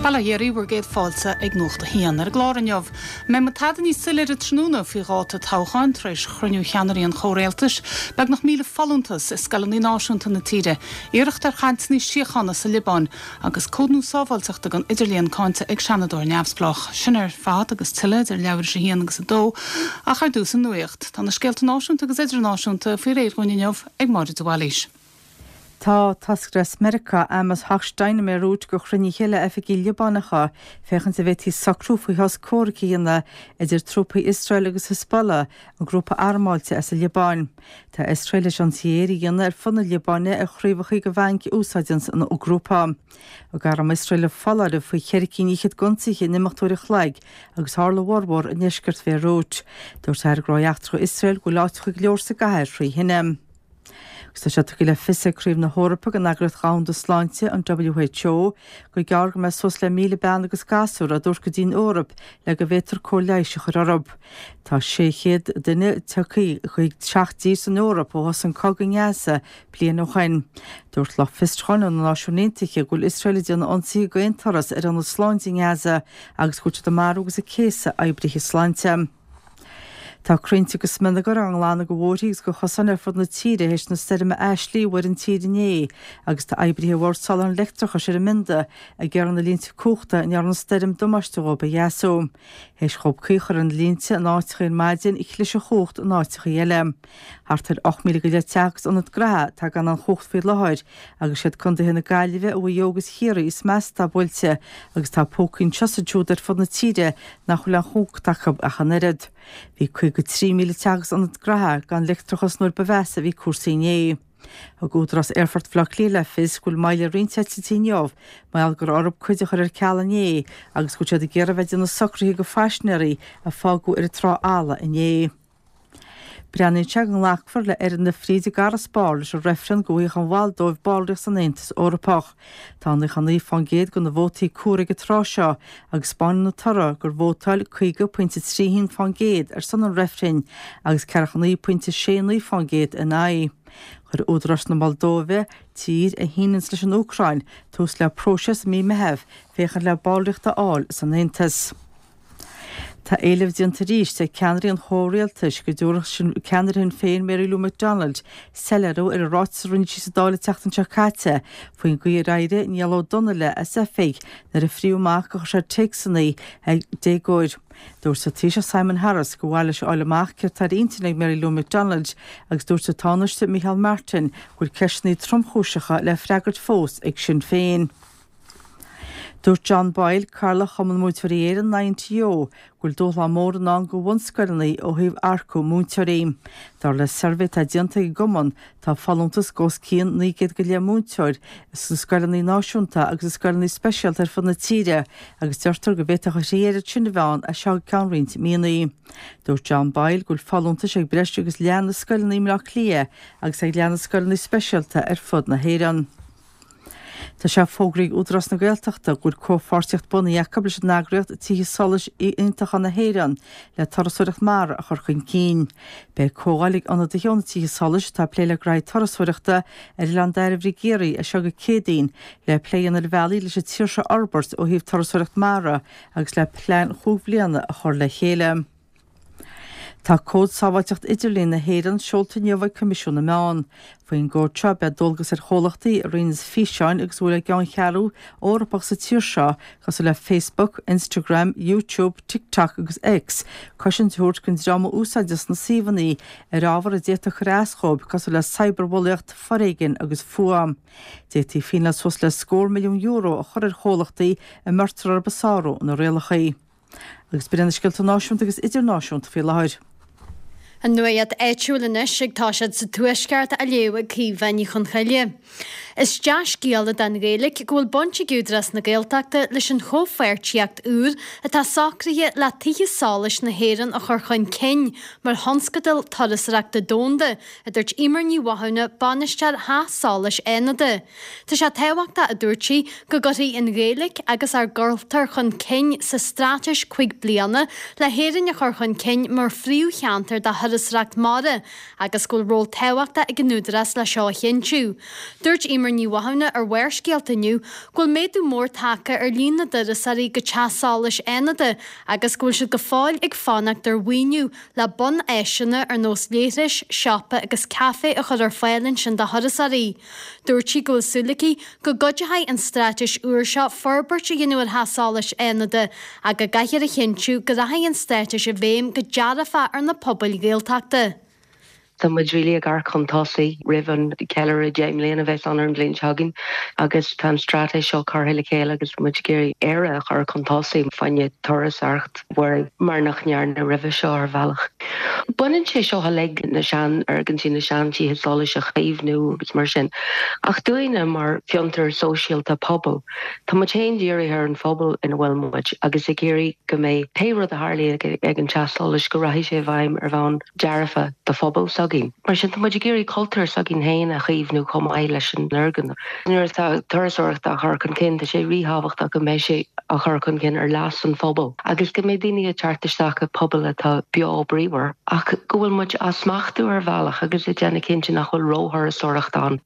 Bail ó Dhia oraibh, bhur gcéad fáilte ag Nuacht a hAon. Ar an gclár inniu, an mbeidh muid tada níos soiléire tráthnóna faoi dháta toghcháin tar éis chruinniú cheannairí an chomhrialtais, beagnach 1,000 folúntas i scoileanna náisiúnta na tíre, iarracht ar chainteanna síochána sa Liobáin agus cód nua sábháilteachta don idirlíon cáinte ag seanadóir neamhspleách. Sin ar fad agus tuilleadh idir leathuair tar éis a haon agus a dó, ach ar dtús an nuacht. Tá na scéalta náisiúnta agus idirnáisiúnta faoi réir dhúinn inniu ag Máire de Bhailís. Tá toscaire as Meiriceá, Amos Hochstein, i mBeirút do chruinnithe le oifigigh Liobánacha féachaint an bhféadfaí socrú faoi shos comhraic a dhéanamh idir trúpaí Iosrael agus Hezbollah, an grúpa armáilte as an Liobáin. Tá Iosrael théis ionsaithe aeir a dhéanamh ar fud na Liobáine ar chraobhacha de bhainc a úsáideanns an grúpa. Thug arm Iosrael foláireamh faoi cheithre cinn fhichead d'ionsaithe in imeacht uair an chloig agus tharla a bhformhór i ndeisceart Bhéiriút. Dúirt Aire Gnóthaí Eachtracha Iosrael go bhfuil áiteacha go leor sa gcathair thrí thine. Agus tá sé tugtha le fios ag Craobh na hEorpa den Eagraíocht Dhomhanda Sláinte, an WHO, gur gearr go mbeidh suas le 1,000 bean agus gasúr á dtabhairt go dtí'n Eoraip le go bhféadfar cóir leighis a chur orthu. Tá 600 duine tagtha chuig seacht dtír san Eoraip ó thosaigh an cogadh i nGaza bliain ó shoin. Dúirt lucht fiosrúcháin ó na Náisiúin Aontaithe go bhfuil Iosrael ag déanamh ionsaithe d'aon turas ar ionaid sláinte i nGaza agus go bhfuil siad ag marú agus ag céasadh oibrithe sláinte. Tá crainnte agus smionagar á nglanadh de bhóithrí agus de chosáin ar fud na tíre théis na stoirme Ashley a bhuail an tír inné agus tá oibrithe Bhord Soláthair an Leictreachais ar an mbionda ag iarraidh na línte cumhachta a ndearna an stoirm damáiste dhóibh a dheasú. Théis dhóibh caoi a chur ar na línte in áiteacha ar maidin, chlis an chumhacht in áiteacha eile. Thart ar 8,000 go leith teach agus ionad gnaithe atá gan an chumhacht faoi láthair agus siad contaetha na Gaillimhe, Mhaigh Eo agus Chiarraí is measa atá buailte agus tá pócaí anseo is ansiúd ar fud na tíre nach bhfuil aon chumhacht acu ach an oiread. Bhí 53,000 teach agus ionad gnaithe gan leictreachas nuair ba mheasa a bhí cúrsaí inné. Thug Údarás Aerfort Bhaile Átha Cliath le fios go bhfuil moill ar roinnt eitiltí inniu mar gheall go raibh orthu cuid a chur ar ceal inné agus go bhfuil siad ag iarraidh a bheith ag déanamh socruithe do phaisinéirí a fágadh ar an trá fhalla inné. Breathnaíonn sé go nglacfar le Fhoireann na Fríde i gCarraspár leis an reifreann go bhfaigheadh an Mholdóiv ballraíocht san Aontas Eorpach. Tá 99% de na vótaí comhairthe ag an tráth seo agus 'spáineann an toradh gur vótáil 50.31% ar son an reifrinn agus 49.69% ina aghaidh. Chuir údaráis na Moldóive, tír a shíneanns leis an Úcráin, tús le próiseas i mí Meitheamh féachaint le ballraíocht a fháil san Aontas. Tá éileamh déanta arís ag ceannairí an chomhrialtais go dtabharfadh ceannaire Shinn Féin Mary Lou McDonald soiléiriú ar an ráiteas a rinne sí sa Dáil an tseachtain seo caite faoin gcaoi ar éirigh Niall Ó Donnaile as oifig nuair a fríodh amach gur chuir sé téacsanna ag déagóir. Dúirt an Taoiseach Simon Harris gur mhaith leis a fháil amach céard tá ar intinn ag Mary Lou McDonald agus dúirt an Tánaiste Micheál Martin go bhfuil ceisteanna tromchúiseacha le freagairt fós ag Sinn Féin. Dúirt John Boyle, Cathaoirleach Chumann Múinteoirí Éireann, INTO, go bhfuil dúshlán mór i ndán do bhunscoileanna ó thaobh earcú múinteoirí. Dar le suirbhé atá déanta ag an gcumann, tá folúntas de os cionn 900 go leith múinteoir sna scoileanna náisiúnta agus i scoileanna speisialta ar fud na tíre agus deirtear go bhféadfadh a thrí oiread sin a bheith ann as seo go ceann roinnt míonna. Dúirt John Boyle go bhfuil folúntais ag breis agus leath na scoileanna i mBleá Cliath agus ag leath na scoileanna speisialta ar fud na hÉireann. Tá sé fógraithe ag Údarás na Gaeltachta go bhfuil comhpháirtíocht bunaithe acu leis an eagraíocht Tithe Solais Iontacha na hÉireann le turasóireacht mara a chur chun cinn. Beidh comhdháil ag ionadaithe ó na Tithe Solais atá ag plé le gnaithí turasóireachta ar Oileán Dairbhre i gCiarraí as seo go Céadaoin le plé a dhéanamh ar bhealaí leis an tír seo a fhorbairt ó thaobh turasóireacht mara agus le plean chúig bhliana a chur le chéile. Tá Cód Sábháilteacht Idirlín na hÉireann seolta inniu ag Coimisiún na Meán. Faoin gcód seo beidh dualgas ar chomhlachtaí a roinneanns físeáin agus a bhfuil a gceanncheathrú Eorpach sa tír seo, cosúil le Facebook, Instagram, YouTube, TikTok agus X, cosaint a thabhairt don dream a úsáideanns na suíomhanna ar ábhar a d'fhéadfadh cur as dhóibh cosúil le cyberbhulaíocht, foréigean agus fuath. D'fhéadfaí fíneáil suas le scór milliún euro a chur ar chomhlachtaí a mbeirtear orthu ag sárú na rialacha. Agus b'in iad na scéalta náisiúnta agus idirnáisiúnta faoi láthair. An nuacht áitiúil anois ag toiseacht sa Tuaisceart á léamh ag Caoimhe Ní Chonchoille. Is dea-scéala don Ghaeilge go bhfuil baint ag Údarás na Gaeltachta leis an chomhpháirtíocht úr atá socraithe le Tithe Solais na hÉireann a chur chun cinn mar thionscadal turasóireachta domhanda, a dúirt Eimear Ní Mhathúna, bainisteoir Theach Solais Fhánada. Tá sé tábhachtach, a dúirt sí, go gcuirfí an Ghaeilge agus ár gcultúr chun cinn sa straitéis 5 bliana le hÉirinn a chur chun cinn mar phríomhcheantar do thurasóireacht mara agus go bhfuil ról tábhachtach ag an Údarás le seo a chinntiú. Dúirt Eimear. Eimear Ní Mhathúna ar Bharrscéalta inniu go bhfuil méadú mór tagtha ar líon na dturasóirí go Teach Solais Fhánada agus go bhfuil siad go fóill ag fanacht ar mhaoiniú le bun-áiseanna ar nós leithris, siopa agus caife a chur ar fáil ansin do thurasóirí. Dúirt sí go bhfuil súil aici go gcuideoidh an straitéis úr seo forbairt a dhéanamh ar Theach Solais Fhánada ach go gcaithfear a chinntiú go rachaidh an straitéis i bhfeidhm go dearfach ar na pobail Ghaeltachta. Tá muid really ag amharc chun tosaigh roimh an ceiliúradh 10 mbliana a bheas ann ar an bhliain seo chugainn agus tá an straitéis seo curtha le chéile agus tá muid ag iarraidh Éire a chur chun tosaigh fá choinne turasóireacht mhuirí mar nach ndearnadh roimhe seo ar bhealach. Baineann sé seo uilig na seanfhoirgintí, na seantithe solais a chaomhnú agus mar sin. Ach dúinne mar fiontar sóisialta pobail, tá muid féin dírithe ar an phobal ina bhfuil muid agus ag iarraidh go mbeidh pé rud a tharlaíonn ag an teach solais go rachaidh sé i bhfeidhm ar bhonn dearfa do phobal s'againn. Mar sin, tá muid ag iarraidh cultúr s'againn féin a chaomhnú chomh maith leis an fhoirgneamh. Nuair atá turasóireacht á chur chun cinn, tá sé ríthábhachtach go mbeidh sé á chur chun cinn ar leas an phobail agus go mbeidh daoine ag teacht isteach i bpobail atá beo bríomhar ach go bhfuil muid á smachtú ar bhealach agus ag déanamh cinnte nach bhfuil róthurasóireacht ann.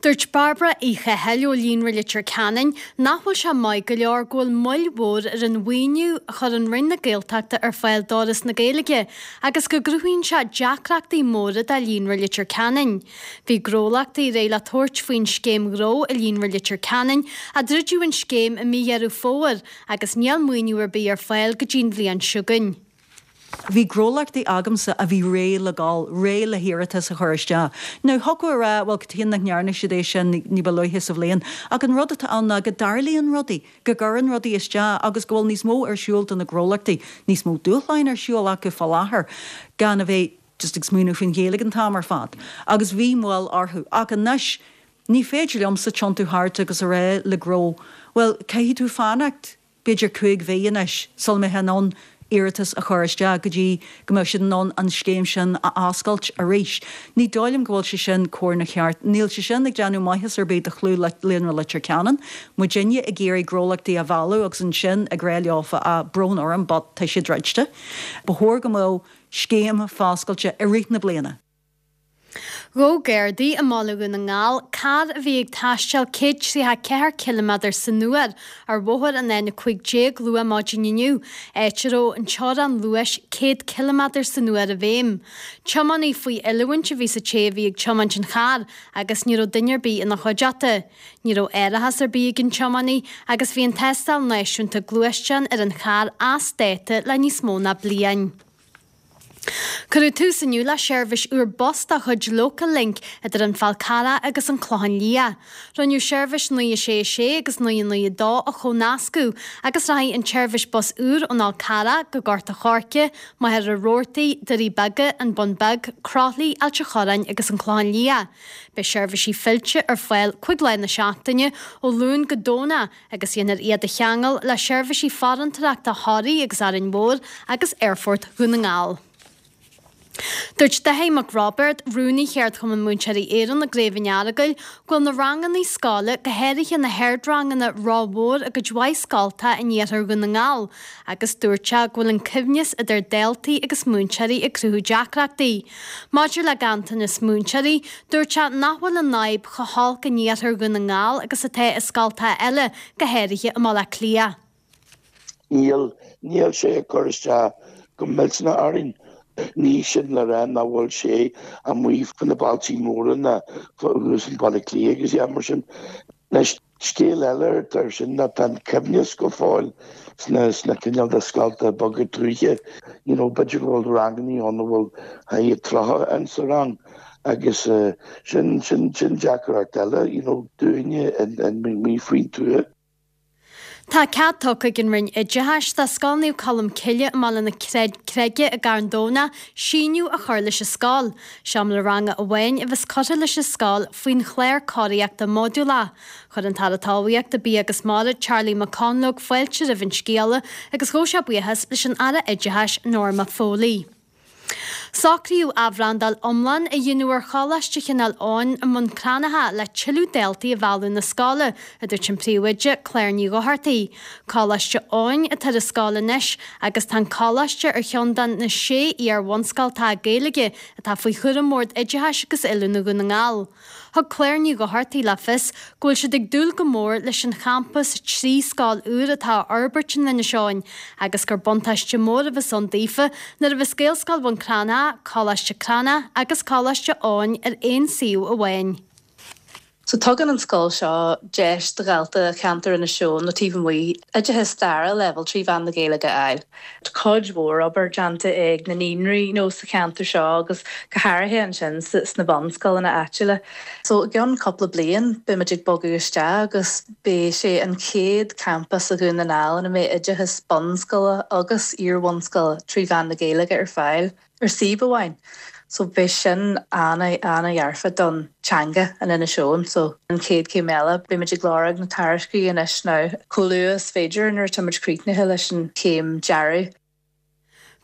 Dúirt Bairbre Uí Chathail ó Líonra Leitir Ceanainn nach bhfuil sé maith go leor go bhfuil moill mhór ar an mhaoiniú a chuireann Roinn na Gaeltachta ar fáil d'Fhoras na Gaeilge agus go gcruthaíonn sé deacrachtaí móra do Líonra Leitir Ceanainn. Bhí gnólachtaí réidh le tabhairt faoin scéim ghnó i Líonra Leitir Ceanainn ach druideadh an scéim i mí Dheireadh Fómhair agus níl maoiniú ar bith ar fáil go dtí an bhliain seo chugainn. Bhí gnólachtaí agamsa a bhí réidh le gabháil, réidh le hiarratas a chur isteach. Now, thiocfadh a rá, bhuel, cad chuige nach ndearna siad é sin ní ba luaithe sa bhliain? Ach an rud atá ann ná go dtarlaíonn rudaí, go gcuireann rudaí isteach agus go bhfuil níos mó ar siúl do na gnólachtaí, níos mó dúshláin ar siúl acu fá láthair, gan a bheith just ag smaoineamh faoin Ghaeilge an t-am ar fad. Agus bhí moill orthu. Ach anois, ní féidir liomsa tiontú thart agus a rá le gnó, bhuel, caithfidh tú fanacht b'fhéidir 5 mhí anois sula mbeifeá in ann iarratas a chur isteach go dtí go mbeadh siad in ann an scéim sin a oscailt arís. Ní dóigh liom go bhfuil sé sin cóir ná ceart. Níl sé sin ag déanamh maitheas ar bith do chlú Líonra Leitir Ceanainn. Muidinne ag iarraidh gnólachtaí a mhealladh agus ansin ag rá leofa ah brón orm but tá sé druidte. Ba chóir go mbeadh scéim foscailte i rith na bliana. Ghabh Gardaí i mBaile Dhún na nGall carr a bhí ag taisteal 134 ciliméadar san uair ar bhóthar an N15 luath maidin inniu, áit a raibh an teorainn luais 100 ciliméadar san uair i bhfeidhm. Tiománaí faoi oiliúint a bhí sa té a bhí ag tiomáint an chairr agus ní raibh duine ar bith ina chuideachta. Ní raibh árachas ar bith ag an tiománaí agus bhí an tástáil náisiúnta gluaisteán ar an charr as dáta le níos mó ná bliain. Cuireadh tús inniu le seirbhís úr bus de chuid Local Link idir an Fál Carrach agus an Clochán Liath. Rinneadh seirbhís 9 6 6 agus 9 9 2 a chomhnascadh agus rachaidh an tseirbhís bus úr ón Fhál Carrach go Gort a' Choirce, Machaire Rabhartaigh, Doirí Beaga, An Bun Beag, Croithlí, Ailt a' Chorráin agus an Clochán Liath. Beidh seirbhísí fillte ar fáil 5 lá na seachtaine ó Luan go Domhnach agus dhéanfar iad a cheangal le seirbhísí farantóireachta Thoraí agus Árainn Mhór agus Aerfort Dhún na nGall. Dúirt Dáithí Mac Roibeard, Rúnaí Cheardchumann Múinteoirí Éireann i gCraobh an Earagail, go bhfuil na ranganna scoile, go háirithe na hardranganna, rómhór i gcuid mhaith scoltacha in iarthar Dhún na nGall agus dúirt sé go bhfuil an coibhneas idir daltaí agus múinteoirí ag cruthú deacrachtaí. Maidir le ganntanas múinteoirí, dúirt sé nach bhfuil an fhadhb chomh holc in iarthar Dhún na nGall agus atá i scoltacha eile, go háirithe i mBaile Átha Cliath. Níl, níl sé ag cur isteach go millteanach orainn. Ní sin le rá nach bhfuil sé amuigh fá na bailtí móra ná thuas in Baile Átha Cliath agus mar sin. Anois, scéal eile ar sin ná tá an coibhneas go fóill sna sna cineál de scolta beaga tuaithe. You know, b'fhéidir go bhfuil rangannaí ann a bhfuil thart ar 30 in sa rang agus sin sin sin deacracht eile, you know, dúinne in amuigh faoin tuath. Tá cead tugtha ag an Roinn Oideachais do Scoil Naomh Colm Cille i mBaile na Creige i gCarn Domhnach síneadh a chur leis an scoil. Seomra ranga amháin a bheas curtha leis an scoil faoin chlár cóiríochta modúlach. Chuir an tAire Talmhaíochta, Bia agus Mara, Charlie McConalogue fáilte roimh an scéala agus ghabh sé buíochas leis an Aire Oideachais, Norma Foley. Socraíodh athbhrandáil iomlán a dhéanamh ar Choláiste Chineál Eoghain i mBun Cranncha le tuilleadh daltaí a mhealladh na scoile, a dúirt an príomhoide, Claire Ní Dhochartaigh. Coláiste Eoghain atá ar an scoil anois agus tá an coláiste ar cheann de na sé iar-bhunscoil atá Gaeilge atá faoi chúram Bhord Oideachais agus Oiliúna Dhún na nGall. Thug Claire Ní Dhochartaigh le fios go bhfuil siad ag dúil go mór leis an champas 3 scoil úr atá á fhorbairt in Inis Eoghain agus gur buntáiste mór a bheas ann daofa nuair a bheas Gaelscoil Bhun Cranncha, Coláiste Cranncha agus Coláiste Eoghain ar aon suíomh amháin. So tugann an scoil seo deis do dhalta cheantar Inis Eoghain nó taobh amuigh oideachas dara leibhéal trí mheán na Gaeilge a fháil. Tá cuid mhór obair déanta ag na naíonraí you know sa cheantar seo agus go háirithe ansin sna bunscoileanna áitiúla. So i gceann cúpla bliain beidh muid ag bogadh isteach agus beidh sé an chéad campas i Dhún na nGall ina mbeidh oideachas bunscoile agus iar-bhunscoile trí mheán na Gaeilge ar fáil. ar suíomh amháin. So beidh sin ana-dhearfa don teanga in Inis Eoghain. So an chéad chéim eile, beidh muid ag lorg na tairiscintí anois now chomh luath is féidir nuair atá muid críochnaithe leis an chéim dearaidh.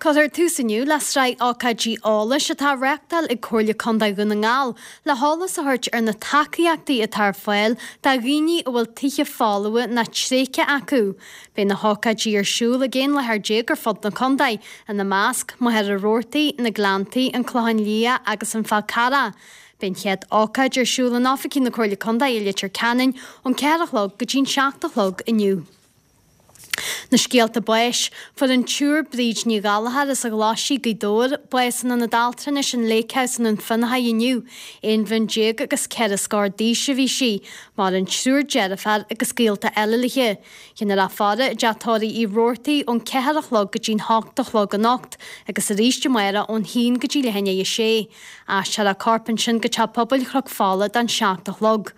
Cuirfear tús inniu le sraith ócáidí eolais atá á reáchtáil ag Comhairle Contae Dhún na nGall le heolas a thabhairt ar na tacaíochtaí atá ar fáil do dhaoine a bhfuil tithe folmha nó tréigthe acu. Beidh na hócáidí ar siúl ag 11 láthair ar fud na contae, ina measc, Machaire Rabhartaigh, Na Gleanntaí, An Clochán Liath agus An Fál Carrach. Beidh an chéad ócáid ar siúl in oifigí na Comhairle Contae i Leitir Ceanainn ón 4 a chlog go dtí'n 7 a chlog inniu. Na scéalta báis. Fuair an tSiúr Bríd Ní Ghallchóir as an Ghlaisigh, Gaoth Dobhair, bás in Ionad Altranais an Lake House i nDún Fionnachaidh inniu. Aon bhliain déag agus ceithre scór d'aois a bhí sí. Maireann triúr deirféar agus gaolta eile léi. Déanfar a faire i dteach tórraimh Uí Robhartaigh ón 4 a chlog go dtí'n 8 a chlog anocht agus arís amárach ón haon go dtí leath i ndiaidh a sé. Aistreofar a corp ansin go Teach Pobail Chnoc Fola don 7 a chlog.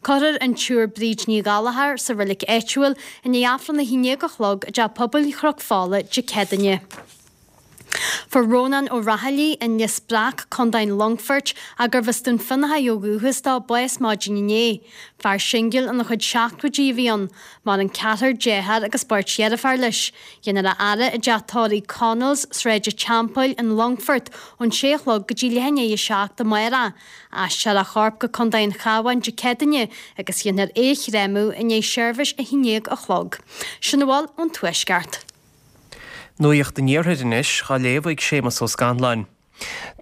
Cuirfear an tSiúr Bríd Ní Ghallchóir sa reilig áitiúil i ndiaidh Aifreann a 11 a chlog i dTeach Pobail Chnoc Fola Dé Céadaoine. Fuair Rónán Ó Raghallaigh, An Lios Breac, Co. an Longfoirt, ach gurbh as Dún Fionnachaidh ó dhúchas dó, bás maidin inné. Fear singil ina chuid seachtóidí a bhí ann. Maireann ceathrar dearthár agus beirt dheirféar leis. Déanfar a fhaire i dteach tórraimh Connell's, Sráid an Teampaill, An Longfort, ón sé a chlog go dtí leath i ndiaidh a 7 amárach. Aistreofar a chorp go Co. an Chabháin Dé Céadaoine agus déanfar é a chréamadh i ndiaidh seirbhís 11 a chlog. Sin a bhfuil ón Tuaisceart. Nuacht an Iarthair anois, á léamh ag Séamus Ó Scanláin.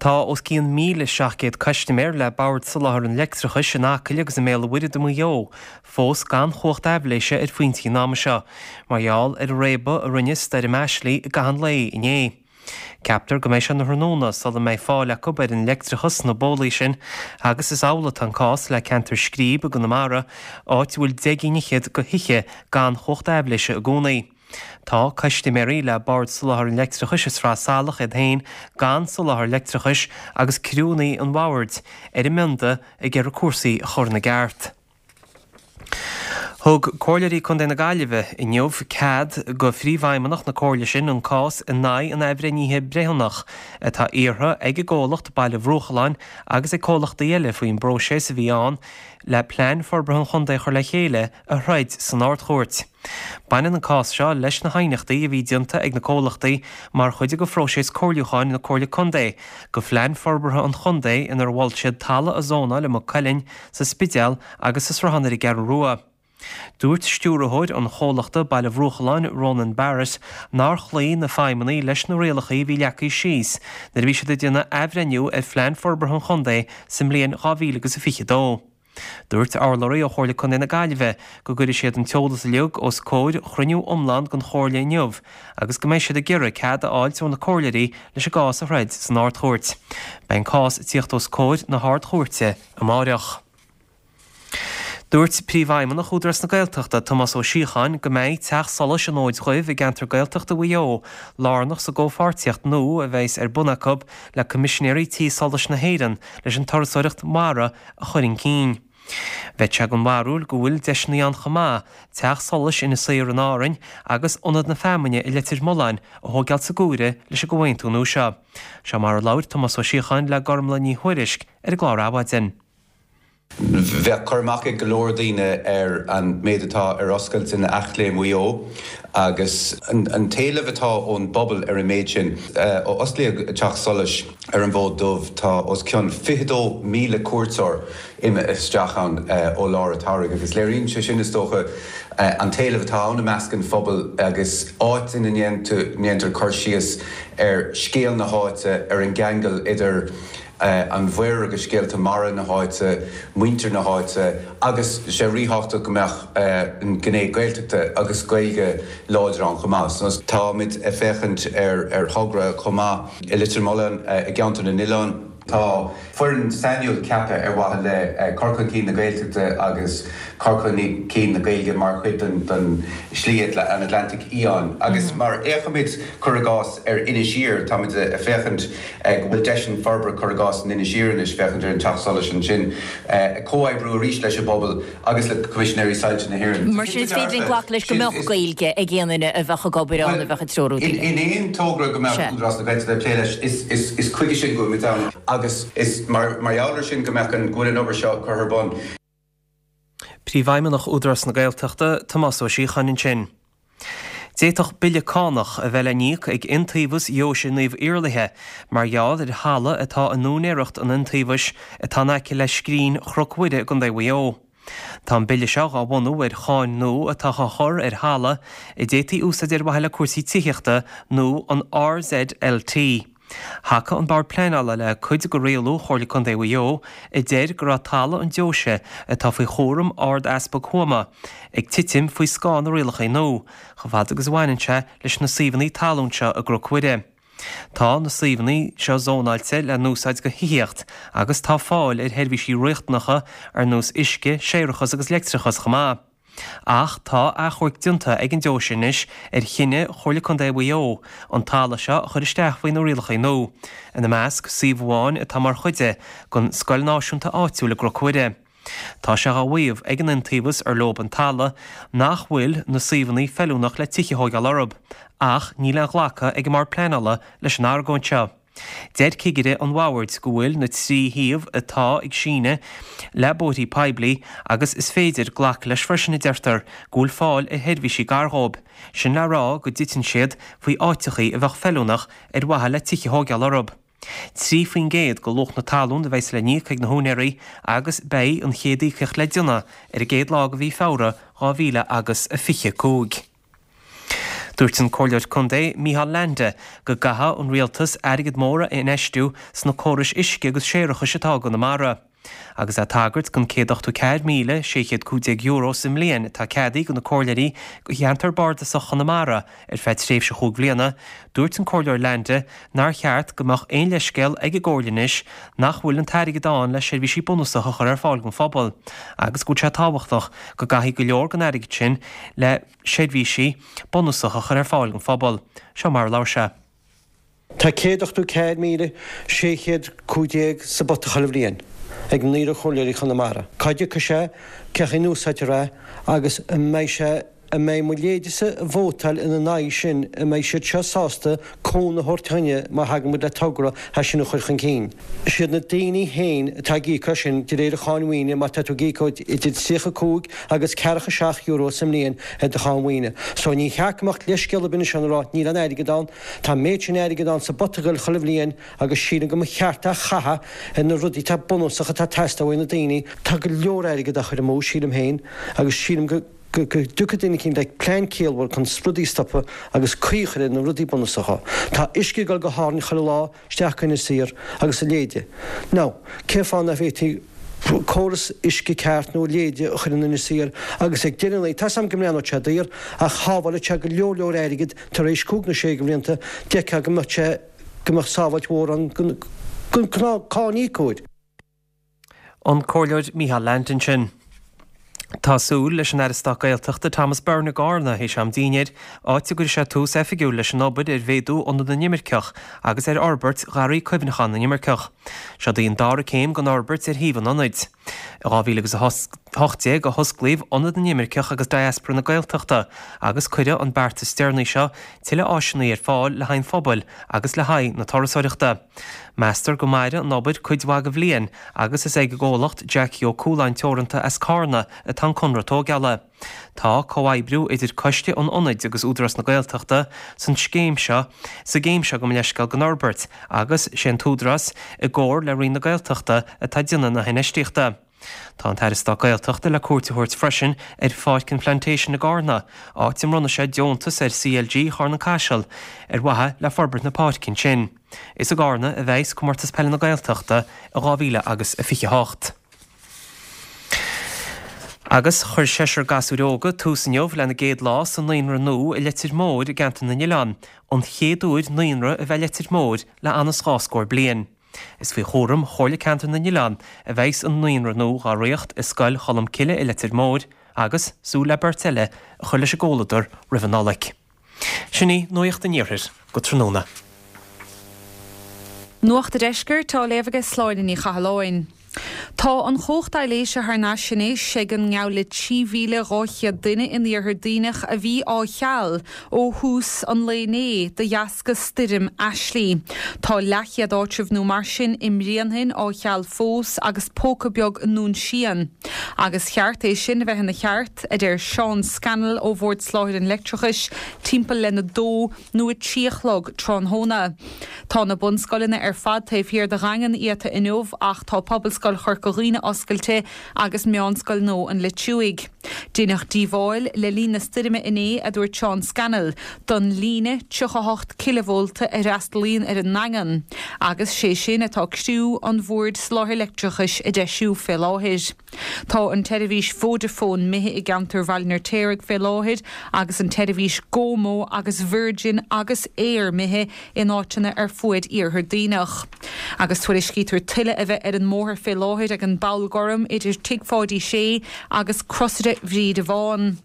Tá os cionn 1,700 custaiméir le Bord Soláthair an Leictreachais in Acaill agus i mBéal an Mhuirthead i Maigh Eo fós gan chumhacht aibhléise ar phointí an ama seo, mar gheall ar an réabadh a rinne Stoirm Ashley i gcaitheamh an lae inné. Ceaptar go mbeidh sé ina thráthnóna sula mbeidh fáil acu ar an leictreachas sna bólaí sin agus is amhlaidh atá an cás le ceantar Scríb i gConamara, áit a bhfuil deich gcinn fhichead de thithe gan chumhacht aibhléise i gcónaí. Tá custaiméirí le Bord Soláthair an Leictreachais i Sraith Salach iad féin gan soláthar leictreachais agus criúnna an Bhoird ar a mbionda ag iarraidh cúrsaí a chur ina gceart. Thug Comhairleoirí Contae na Gaillimhe inniu cead go Phríomhfheidhmeannach na Comhairle sin an cás in aghaidh an athbhreithnithe breithiúnach atá iarrtha ag an gcomhlacht Baile Bhruachalláin agus ag comhlachtaí eile faoin bpróiseas a bhí ann le Plean Forbartha an Chontae a chur le chéile a throid san Ard-Chúirt. Baineann an cás seo leis na haighneachtaí a bhí déanta ag na comhlachtaí mar chuid de phróiseas comhairliúcháin na Comhairle Contae go Phlean Forbartha an Chontae inar mhol siad talamh a zónáil i Maigh Cuilinn, sa Spidéal agus sa Sruthán ar an gCeathrú Rua. Dúirt stiúrthóir an chomhlachta Baile Bhruachalláin, Ronan Barrett, nár chloígh na feidhmeannaigh leis na rialacha a bhí leagtha síos nuair a bhí siad ag déanamh athbhreithniú ar Phlean Forbartha an Chontae sa mbliain 2022. Dúirt urlabhraí ó Chomhairle Contae na Gaillimhe go gcuirfidh siad an t-eolas uilig os comhair chruinniú iomlán den Chomhairle inniu agus go mbeidh siad ag iarraidh cead a fháilt ó na comhairleoirí leis an gcás a throid san Ard-Chúirt. Beidh an cás ag tíocht os comhair na hArd-Chúirte amáireach. Dúirt Príomhfheidhmeannach Údarás na Gaeltachta, Tomás Ó Síocháin, go mbeidh Teach Solais an Fhóid Dhuibh i gceantar Gaeltachta Mhaigh Eo lárnach sa gcomhpháirtíocht nua a bheas ar bun acu le Coimisinéirí Tí Solais na hÉireann leis an turasóireacht mhara a chur chun cinn. Bheadh sé den bharúil go bhfuil deiseanna ann chomh maith Teach Solais Inis Oírr in Árainn agus Ionad na Feamainne i Leitir Mealláin a thóigeáil sa gcomhaire leis an gcomhaontú nua seo. Seo mar a labhair Tomás Ó Síocháin le Gormlaith Ní Thuairisg ar an gclár Adhmhaidin. Bheadh cur amach ag go leor daoine ar an méid atá ar oscailt in Eachléim Mhaigh Eo agus an t-éileamh atá ón bpobal ar an méid sin. Ó osclaíodh Teach Solais ar an bhFód Dubh tá os cionn 22,000 cuairteoir imithe isteach ann ó lár an tsamhraidh agus léiríonn sé sin, is dócha, an t-éileamh atá ann i measc an phobail agus áit ina ndéantar cur síos ar scéal na háite, ar an gceangal idir an mhuir agus scéalta mara na háite, muintir na háite agus sé ríthábhachtach go mbeadh an gné Gaeltachta agus Gaeilge láidir ann chomh maith. Táimid ag féachaint ar thogra chomh maith i Leitir Mealláin i gCeantar na nOileán. Tá foireann sainiúil ceaptha ar mhaithe le cur chun cinn na Gaeltachta agus cur chun cinn na Gaeilge mar chuid den Slí an Atlantaigh Fhiáin agus mar fhéachaimid, cuir i gcás, ar Inis Oírr, táimid ag féachaint go bhfuil deiseanna forbartha, cuir i gcás, in Inis Oírr anois, féachaint ar an Teach Solais ansin, ag comhoibriú arís leis an bpobal agus le Coimisinéirí Soilse na hÉireann. Mar sin, is féidir linn glacadh leis go mbeadh Gaeilge ag aon duine a bheadh ag obair ann, a bheadh ag treorú daoine. In aon togra go mbeadh Údarás na Gaeltachta ag plé leis, is chuige sin go bhfuil muid ann agus is mar gheall air sin go mbeadh an, go bhfuil an obair seo curtha ar bun. Príomhfheidhmeannach Údarás na Gaeltachta, Tomás Ó Síocháin ansin. D'fhéadfadh bille cánach a bheith le n-íoc ag Iontaobhas Dheoise Naomh Iarlaithe mar gheall ar thalamh atá in úinéireacht an Iontaobhais atá in aice le Scrín Chnoc Mhuire i gContae Mhaigh Eo. Tá an bille seo dhá bhunú ar cháin nua atá á chur ar thalamh a d'fhéadfaí úsáid ar mhaithe le cúrsaí tithíochta nó an RZLT. Thacaigh an Bord Pleanála le cuid de rialú Chomhairle Contae Mhaigh Eo a deir go raibh talamh an deoise atá faoi chúram Ard-Easpag Thuama ag titim faoi scáth na rialacha nua, chomh fada agus a bhaineann sé leis na suíomhanna talún seo i gCnoc Mhuire. Tá na suíomhanna seo zónáilte le n-úsáid do thithíocht agus tá fáil ar sheirbhísí riachtanacha ar nós uisce, séarachas agus leictreachas chomh maith. Ach tá achomharc déanta ag an deoise anois ar chinneadh Chomhairle Contae Mhaigh Eo an talamh seo a chur isteach faoi na rialacha nua, ina measc suíomh amháin atá mar chuid den scoil náisiúnta áitiúil i gCnoc Mhuire. Tá sé á mhaíomh ag an Iontaobhas ar leob an talamh nach bhfuil na suíomhanna feiliúnach le tithe a thóigeáil orthu, ach níl aon ghlacadh ag an mBord Pleanála leis an argóint seo. Deir cigire an bhoird go bhfuil na 3 shuíomh atá ag síneadh le bóithrí poiblí agus is féidir glacadh leis freisin, a deirtear, go bhfuil fáil ar sheirbhísí gar dhóibh, sin le rá go dtiteann siad faoi áiteachaí a bheadh feiliúnach ar mhaithe le tithe a thóigeáil orthu. 3% de luach na talún a bheas le n-íoc ag na húinéirí agus beidh an chéad íocaíocht le déanamh ar an gcéad lá de mhí Feabhra 2000 agus 25. Dúirt an Comhairleoir Contae Micheál Leainde go gcaithfidh an Rialtas airgead mór a infheistiú sna córais uisce agus séarachais atá i gConamara. Agus é ag tagairt don €184,615 sa mbliain atá ceadaithe do na comhairleoirí do cheantar bardasach Chonamara ar feadh tréimhse chúig bhliana, dúirt an Comhairleoir Leainde nár cheart go mbeadh aon leithscéal ag an gComhairle anois nach bhfuil an t-airgead ann le seirbhísí bunúsacha a chur ar fáil don phobal agus go bhfuil sé tábhachtach go gcaithfí go leor den airgead sin le seirbhísí bunúsacha a chur ar fáil don phobal. Seo mar a labhair sé. Tá 184,615 sa bpota chuile bhliain ag naonúr chomhairleoirí Chonamara. Cá dtiocfaidh sé, cén chaoi a n-úsáidtear é agus an mbeidh sé, an mbeidh mo leithéidese ag vótáil ina n-aghaidh sin, an mbeidh siad seo sásta cúnamh a thabhairt dúinne má thagann muid le togra é sin a chur chun cinn. Is iad na daoine féin atá ag íoc as sin de réir an cháin mhaoine má tá tú ag íoc idir 35 agus ceathracha €7 sa mbliain ar do cháin mhaoine. So ní cheart go mbeadh leithscéal ar bith ansin a rá níl aon airgead ann. Tá an méid sin airgid ann sa bpota ag goil chuile bhliain agus sílim go mba cheart é a chaitheamh ar na rudaí atá bunúsach atá ag teastáil uaidh na daoine. Tá go leor airgid á chur amú, sílim féin, agus sílim go. go dtiocfaidh duine eicínt le plean ciallmhar chun rudaí a stopadh agus caoi a chur ar na rudaí bunúsacha. Tá uisce ag dul go hÁrainn chuile lá, isteach go Inis Oírr agus a leithéide. Now, cén fáth nach bhféadfaí córas uisce ceart nó a leithéide a chur in Inis Oírr agus ag deireadh an lae, tá's agam go mbreathnóidh sé daor ach shábhálfadh sé go leor leor airgid tar éis cúig nó sé de bhlianta, d'fheicfeá go mbeadh sé, go mbeadh sábháilt mhór ann don ghnáth-cáiníocóir. An Comhairleoir Micheál Leainde ansin. Tá súil leis an Aire Stáit Gaeltachta Thomas Byrne i gCarna théis am dinnéir, áit a gcuirfidh sé tús oifigiúil leis an obair ar mhéadú Ionad na nImirceach agus ar fhorbairt Gharraí Cuimhneacháin na nImirceach. Seod í an dara céim den fhorbairt ar shuíomh an ionaid. I 2018 a hosclaíodh Ionad na nImirceach agus Diaspora na Gaeltachta agus cuireadh an beart is deireanaí seo tuilleadh áiseanna ar fáil le haghaidh an phobail agus le haghaidh na turasóireachta. Meastar go mairfidh an obair cuid mhaith de bhliain agus is ag an gcomhlacht Jackie Ó Cualáin Teoranta as Carna atá an conradh tóigeála. Tá comhoibriú idir Coiste an Ionaid agus Údarás na Gaeltachta san scéim seo sa gcéim seo gabh mo leithscéal den fhorbairt agus sé an tÚdarás i gcomhar le Roinn na Gaeltachta atá ag déanamh na hinfheistíochta. Tá an tAire Stáit Gaeltachta le cuairt a thabhairt freisin ar Pháirc an Phlantation i gCarna, áit a mbronnfaidh sé deontas ar CLG Charna Caiseal ar mhaithe le forbairt na páirce ansin. Is i gCarna a bheas Comórtas Peile na Gaeltachta i 2028. Agus chuir seisear gasúir óga tús inniu lena gcéad lá sa naíonra nua i Leitir Móir i gceantar na nOileán, an chéad uair naíonra a bheith i Leitir Móir le ann is 2 scór bliain. Is faoi chúram Chomhairle Ceantar na nOileán a bheas an naíonra nua dhá reáchtáil i Scoil Cholm Cille i Leitir Móir agus súil le beirt eile a chur leis an gcomhluadar roimh an Nollaig. Sin í Nuacht an Iarthair go tráthnóna. Nuacht a' Deiscirt á léamh aige Sláine Ní Chathalláin. Tá an chumhacht aibhléise thar n-ais anois ag an ngeall le 3,200 duine in Iarthar Duibhneach a bhí á cheal ó thús an lae inné de dheasca stoirm Ashley. Tá leathchéad áitreabh nó mar sin i mBréanainn á cheal fós agus póca beag i nDún Síon. Agus cheart é sin a bheith ina cheart, a deir Seán Scannell ó Bhord Soláthair an Leictreachais, timpeall lena dó nó a trí a chlog tráthnóna. Tá na bunscoileanna ar fad taobh thiar de dhaingean iata inniu ach tá Pobalscoil Chorca Dhuibhne oscailte agus Meánscoil nua an Leitriúigh. Deineadh díobháil le linn na stoirme inné, a dúirt Seán Scannell, don líne 38 cileavólta a fhreastalaíonn ar an nDaingean agus sé sin atá criú an Bhoird Soláthair Leictreachais a deisiú fé láthair. Tá an tseirbhís Vodafone imithe i gceantar Bhaile an Fheirtéaraigh fé láthair agus an tseirbhís GoMo agus Virgin agus Eir imithe in áiteanna ar fuaid Iarthar Duibhneach. Agus tuairiscítear tuile a bheith ar an mbóthar fé láthair ag an bPoll Gorm idir Tigh Pháidí Sé agus Crosaire Bhríde Bhán.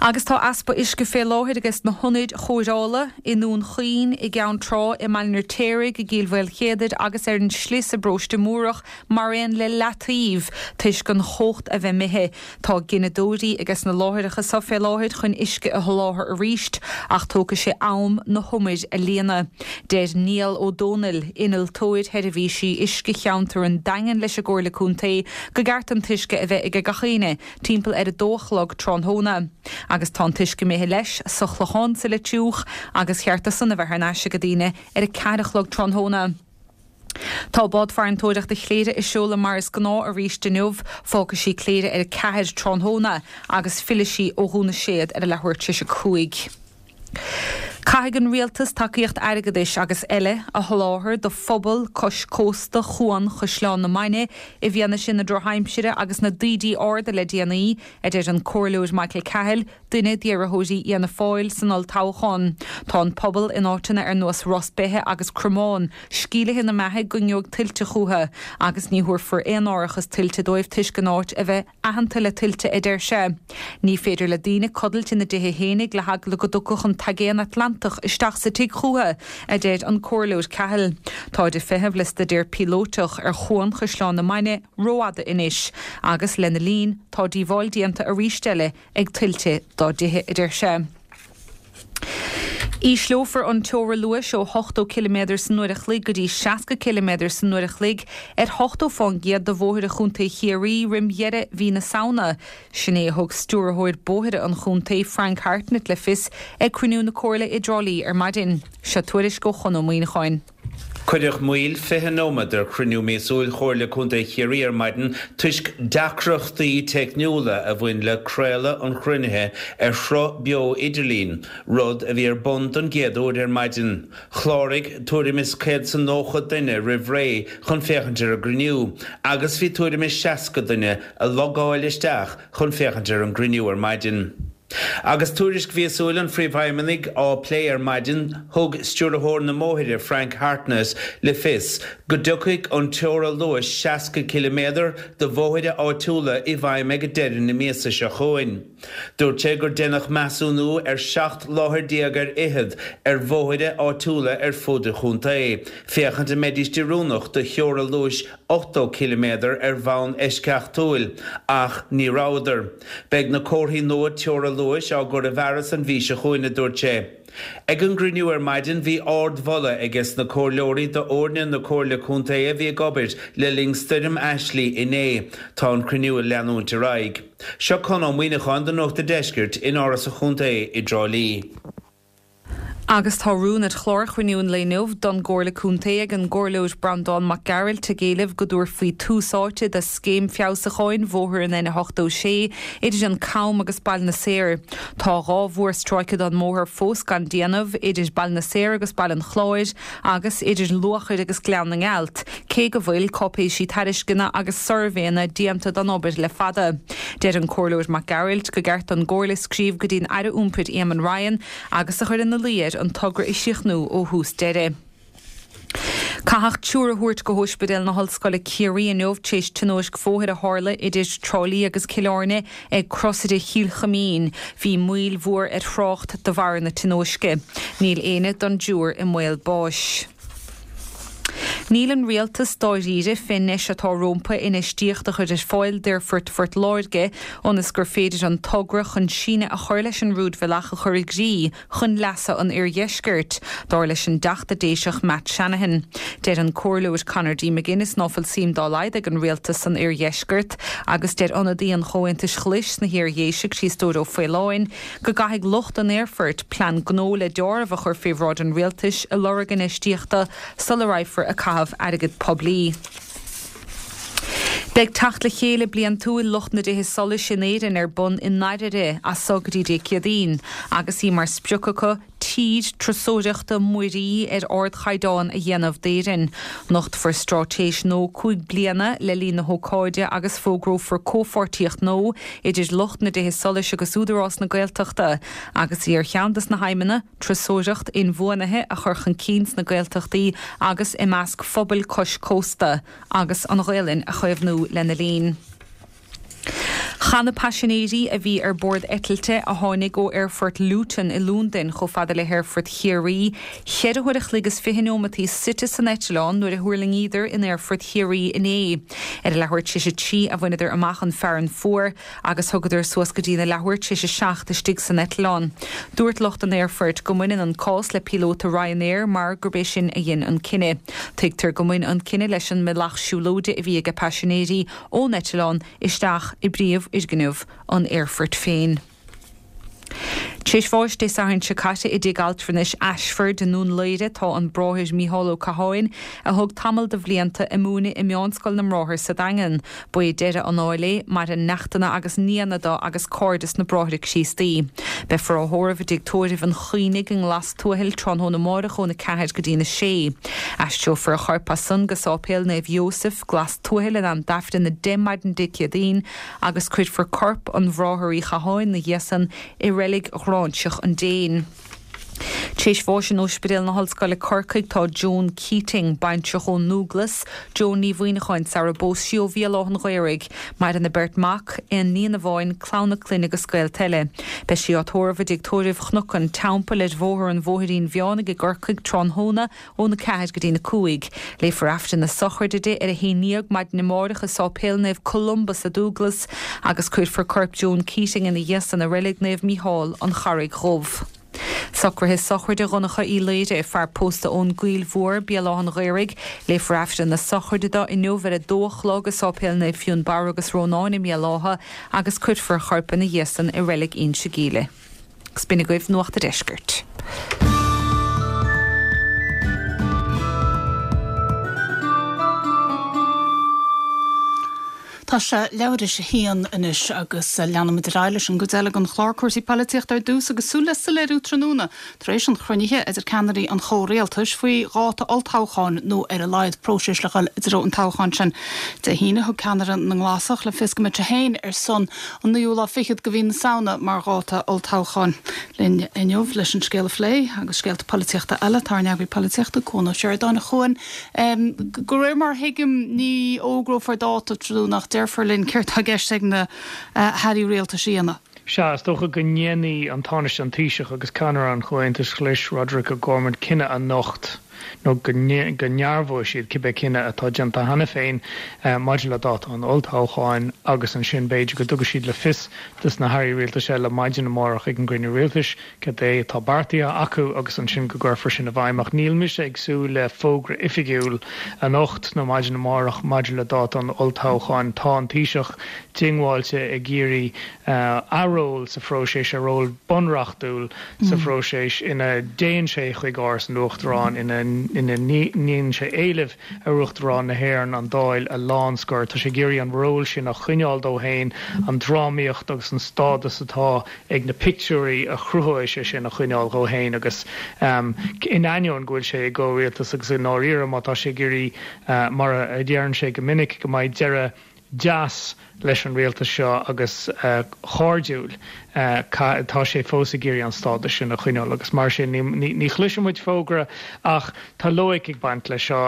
Agus tá easpa uisce fé láthair ages na hionaid chóireála i nDún Chaoin, i gCeann Trá, i mBaile an Fheirtéaraigh, i gCill Mhaoilchéadair agus ar an Sli sa bParóiste Múrach mar aon le Leataobh toisc an chumhacht a bheith imithe. Tá gineadóirí ages na láithreacha so fé láthair chun uisce a sholáthar arís ach tógfaidh sé am na humair a líonadh. Deir Niall Ó Dónaill, Innealtóir Sheirbhísí Uisce Cheantar an Daingin leis an gComhairle Contae go gceart an t-uisce a bheith aige gach éinne timpeall ar a dó a chlog tráthnóna. Agus tá an t-uisce imithe leis sa Chlochán sa Leitriúch agus cheart do san a bheith thar n-ais ag daoine ar a ceathair a chlog tráthnóna. Tá bád farantóireachta Chléire ag seoladh mar is gnáth arís inniu. Fágfaidh sí Cléire ar a ceathair tráthnóna agus fillfidh sí ó Dhún na Séad ar a leathuair tar éis a cúig. Caithfidh an Rialtas tacaíocht airgeadais agus eile a sholáthar do phobal cois cósta Chuan Chaisleán na Mainge i bhfianaise na drochaimsire agus na dtaoidí arda le déanaí, a deir an Comhairleoir Michael Cahill, duine d'iarrthóirí Fhianna Fáil san olltoghchán. Tá an pobal in áiteanna ar nós Ros Beithe agus Cromán sceimhlithe ina mbeathaidh go ngeobhaidh tuilte chucu agus ní thabharfar aon árachas tuilte dóibh toisc an áit a bheith aitheanta le tuilte, a deir sé. Ní féidir le daoine codlait ina dtithe fhéinig le heagla go dtiocfadh an t-aigéan Atlantach isteach sa tigh chucu, a deir an Comhairleoir Cahill. Táid ag feitheamh le staidéar píolótach ar Chuan Chaisleán na Mainge rófhada anois agus lena linn tá díobháil déanta arís eile ag tuilte dá dtithe, a deir sé. Ísleofar an teora luais ó 80 ciliméadar san uair a chloig go dtí 60 ciliméadar san uair a chloig ar 80 fán gcéad de bhóithre Chontae Chiarraí roim dheireadh mhí na Samhna. Sin é a thug Stiúrthóir Bóithre an chontae, Frank Hartnett le fios ag cruinniú na Comhairle i dTrá Lí ar maidin. Seo tuairisc ó Chon Ó Muíneacháin. Cuireadh moill 20 nóiméad ar chruinniú míosúil Chomhairle Contae Chiarraí ar maidin toisc deacrachtaí teicniúla a bhain le craoladh an chruinnithe ar shruth beo idirlín, rud a bhí ar bun don gcéad uair ar maidin. Chláraigh tuairim is 190 duine roimh ré chun féachaint ar an gcruinniú agus bhí tuairim is 60 duine a logáil isteach chun féachaint ar an gcruinniú ar maidin. Agus tuairisc mhíosúil an Phríomhfheidhmeannaigh á plé ar maidin, thug Stiúrthóir na mBóithre, Frank Hartnett, le fios go dtiocfaidh an teora luais 60 ciliméadar do bhóithre áitiúla i bhfeidhm ag deireadh na míosa seo chugainn. Dúirt sé gur deineadh measúnú ar 17 láthair ar fhichead ar bhóithre áitiúla ar fud an chontae féachaint an mbeidís oiriúnach do theora luais 80 ciliméadar ar bhonn eisceachtúil, ach ní rabhadar. Beidh na comharthaí nua teora luais á gcur i bhfearas an mhí seo chugainn, a dúirt sé. Ag an gcruinniú ar maidin bhí ard-mholadh aiges na comhairleoirí d'fhoirne na Comhairle Contae a bhí ag obair le linn Stoirm Ashley inné. Tá an cruinniú ag leanúint ar aghaidh. Seo Conn Ó Muíneacháin do Nuacht a' Deiscirt in Áras an Chontae i dTrá Lí. Agus tá rún ar chlár chruinniú an lae inniu don gComhairle Contae ag an gComhairleoir Breandán Mac Gearailt ag éileamh go dtabharfaí tús áite do scéim feabhsúcháin bhóthar an N86 idir an Cam agus Baile na Saor. Tá 2 mhórstráice don mbóthar fós gan déanamh, idir Baile na Saor agus Baile an Chláir agus idir Luachair agus Gleann na nGealt, cé go bhfuil cáipéisí tairisceana agus suirbhéanna déanta don obair le fada. Deir an Comhairleoir Mac Gearailt go gceart don gComhairle scríobh go dtí'n Aire Iompair Éamon Ryan agus a chur ina luí air an togra a chríochnú ó thús deireadh. Caitheadh triúr a thabhairt go hOspidéal na hOllscoile Ciarraí inniu tar éis tionóisc bhóthair a tharla idir Trá Lí agus Cill Airne ag Crosaire Chill Chuimín. Bhí moill mhór ar thrácht de bharr na tionóisce. Níl éinne don dtriúr i mbaol báis. Níl an Rialtas dáiríre fén ndeis atá rómpa infheistíocht a chur ar fáil d'Aerfort Phort Láirge ionas gur féidir an togra chun síneadh a chur leis an rúidbhealach a chur i gcrích chun leasa an Oirdheiscirt, dar leis an dTeachta Déiseach Matt Shanahan. Deir an Comhairleoir Conor D. McGuinness ná fuil suim dá laghad ag an Rialtas san Oirdheisceart agus deir ionadaí an Chomhaontais Ghlais sna hIar-Dhéise, Críostóir Ó Faoláin, go gcaithfidh lucht an aerfoirt plean gnó le deáramh a chur fé bhráid an rialtais ag lorg infheistíochta sula raghfar ag caitheamh airgead poiblí. Beidh teacht le chéile bliantúil lucht na dtithe solais in Éirinn ar bun i nDairbhre as so go dtí Dé Céadaoin agus í mar sprioc acu tír turasóireachta muirí ar ardchaighdeán a dhéanamh d'Éirinn. Nochtfar straitéis nua 5 bliana le linn na hócáide agus fógrófar comhpháirtíocht nua idir lucht na dtithe solais agus Údarás na Gaeltachta agus í ar cheann des na haidhmeanna, turasóireacht inbhuanaithe a chur chun cinn sna Gaeltachtaí agus i measc phobail cois cósta agus an Ghaelainn a chaomhnú lena linn. Chaith na paisinéirí a bhí ar bord eitilte a tháinig ó Aerfort Luton i Londain chomh fada le hAerfort Chiarraí cheithre huair a chloig is 20 neomataí suite san eitleán nuair a thuirlingíodar in Aerfort Chiarraí inné. Ar a leathuair tar éis a trí a bhaineadar amach an fearann fuar agus thugadar suas go dtína leathuair tar éis a seacht istigh san eitleán. Dúirt lucht an aerfoirt go mbaineann an cás le píolóta Ryanair mar gurb é sin a dhein an cinneadh. Tuigtear go mbain an cinneadh leis an mbealach siúlóide a bhí ag paisinéirí ón eitleán isteach i bpríomhfhoirgneamh an aerfoirt féin. Tar éis bháis Dé Sathairn seo caite i dtigh altranais Ashford i nDún Laoghaire tá an Bráthair Mícheál Ó Catháin, a thug tamall de bhlianta ag múineadh i Meánscoil na mBráthar sa Daingean. Ba é deireadh an áil é, maireann neachtanna agus nianna do agus cairde sna Bráithre Críostaí. Beifear á thórramh i dtigh tórraimh an Chaonaigh i nGlas Tuathail tráthnóna amáireach óna 4 go dtína 6. Aistreofar a chorp as san go Sáipéal Naomh Iósaef, Glas Tuathail in am d'Aifreann 10 maidin Dé Céadaoin agus cuirfear corp an Bhráthar Uí Chatháin 'na dhiaidh san i Reilig Ghráinseach an Déin. Tar éis bháis in Ospidéal na hOllscoile Corcaigh tá Joan Keating, baintreach ón nDúglas, Joan Ní Mhuineacháin sara bpós sí ó Bhéal Átha'n Ghaorthaidh. Maireann a beirt mac, aon níon amháin, clann a clainne agus gaolta eile. Beidh sí á tórramh i dtigh tórraimh Chnoc an Teampaill ar Bhóthar an Bhóithrín Mheánaigh i gCorcaigh tráthnóna óna 4 go dtína 5. Léifear Aifreann na sochraide di ar a haon dhéag maidin amárach i Sáipéal Naomh Columba sa Dúglas agus cuirfear corp Joan Keating ina dhiaidh san i Reilig Naomh Mícheál, An Charraig Dhubh. Socruithe sochraide Dhonncha Uí Laoire, fear pósta ón gCoill Mhór, Béal Átha'n Ghaorthaidh. Léifear Aifreann na sochraide do inniu ar a dó a chlog i Sáipéal Naomh Fionnbarra agus Rónán i mBéal Átha agus cuirfear a chorp ina dhiaidh san i Reilig Inse Gile. Agus b'in agaibh Nuacht a' Deiscirt. Tá. Tá sé leathuair tar éis a haon anois agus leanfaimid ar aghaidh leis an gcuid eile den chlár, cúrsaí polaitíochta ar dtús agus súil le soiléiriú tráthnóna tar éis an chruinnithe idir ceannairí an chomhrialtais faoi dháta olltoghcháin nó ar a laghad próiseas le dhul i dtreo an toghcháin sin. Dé hAoine thug ceannaire na nGlasach le fios go mbeadh sé féin ar son an naoú lá fichead de mhí na Samhna mar dháta olltoghcháin. Linn inniu leis an scéal a phlé agus scéalta polaitíochta eile tá ár n-eagraí polaitíochta, Cuan Ó Seireadáin. A Chuain, De réir mar a thuigim, ní fhógrófar dáta tráthnóna ach déarfar linn céard tá i gceist ag na hairí rialtais a dhéanamh. Sea, is dócha go ndéanfaidh an Tánaiste, an Taoiseach agus ceannaire an Chomhaontais Ghlais, Roderic O'Gorman, cinneadh anocht, nó go ndearbhóidh siad cibé cinneadh atá déanta cheana féin maidir le dáta an olltoghcháin agus ansin b'fhéidir go dtabharfaidh siad le fios dos na hairí rialtais eile maidin amárach ag an gcruinniú rialtais cad é atá beartaithe acu agus ansin go gcuirfear sin i bhfeidhm. Ach níl mise ag súil le fógra oifigiúil anocht nó maidin amárach maidir le dáta an olltoghcháin. Tá an Taoiseach diongbháilte ag iarraidh a ról sa phróiseas, a ról bunreachtúil sa phróiseas ina dtéann sé chuig Áras an Uachtaráin, ina ndéanann sé éileamh ar Uachtarán na hÉireann an Dáil a lánscor. Tá sé ag iarraidh an ról sin a choinneáil dó féin, an drámaíocht agus an stádas atá ag na pictiúirí a chruthóidh sé sin a choinneáil dhó féin agus in ainneoin go bhfuil sé i gcomhrialtas agus i ndáiríre má tá sé ag iarraidh, mar a deireann sé go minic, go mbeidh deireadh deas leis an rialtas seo agus cairdiúil, tá sé fós ag iarraidh an stádas sin a choinneáil agus mar sin ní chloisfidh muid fógra ach tá loighic ag baint leis seo.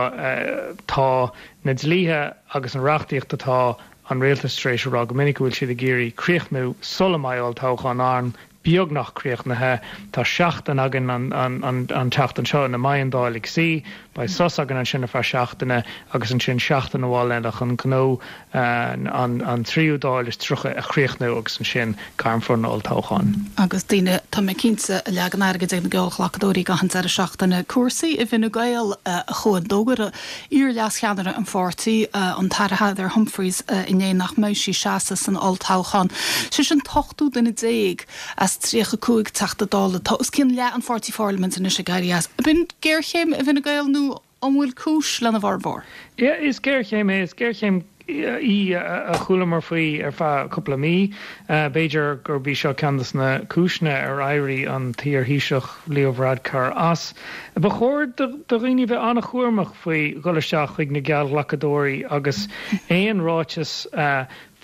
Tá na dlíthe agus an reachtaíocht atá an rialtas tar éis a rá go minic go bhfuil siad ag iarraidh críochnú sula mbeidh olltoghchán ann, beagnach críochnaithe. Tá seachtain againn an tseachtain seo ina mbeidh an Dáil ag suí. Beidh sos againn ansin ar feadh seachtaine agus ansin seachtain amháin eile chun gnó an tríú Dáil is 30 a chríochnú agus ansin gairmfear an olltoghchán. Agus daoine, tá mé cinnte, a leagann airgid ag na geallghlacadóirí gach an deireadh seachtaine. Cúrsaí i bhFine Gael, a Chuain. D'fhógair iar-leascheannaire an pháirtí, an tAire Heather Humphreys, inné nach mbeidh sí ag seasamh san olltoghchán. Sise an t-ochtú duine déag as 35 Teachta Dála. Tá os cionn leath an pháirtí pharlaimint anois ag éirí as. Ab in géarchéim i bhFine Gael nó an bhfuil cúis lena bhformhór? Yeah, is géarchéim é. Is géarchéim í a chualamar faoi ar feadh cúpla mí. B'fhéidir gurb í seo ceann de na cúiseanna ar éirigh an t-iar-Thaoiseach Leo Varadkar as. Ba chóir do dhaoine bheith an-chúramach faoi dhul isteach chuig na geallghlacadóirí agus aon ráiteas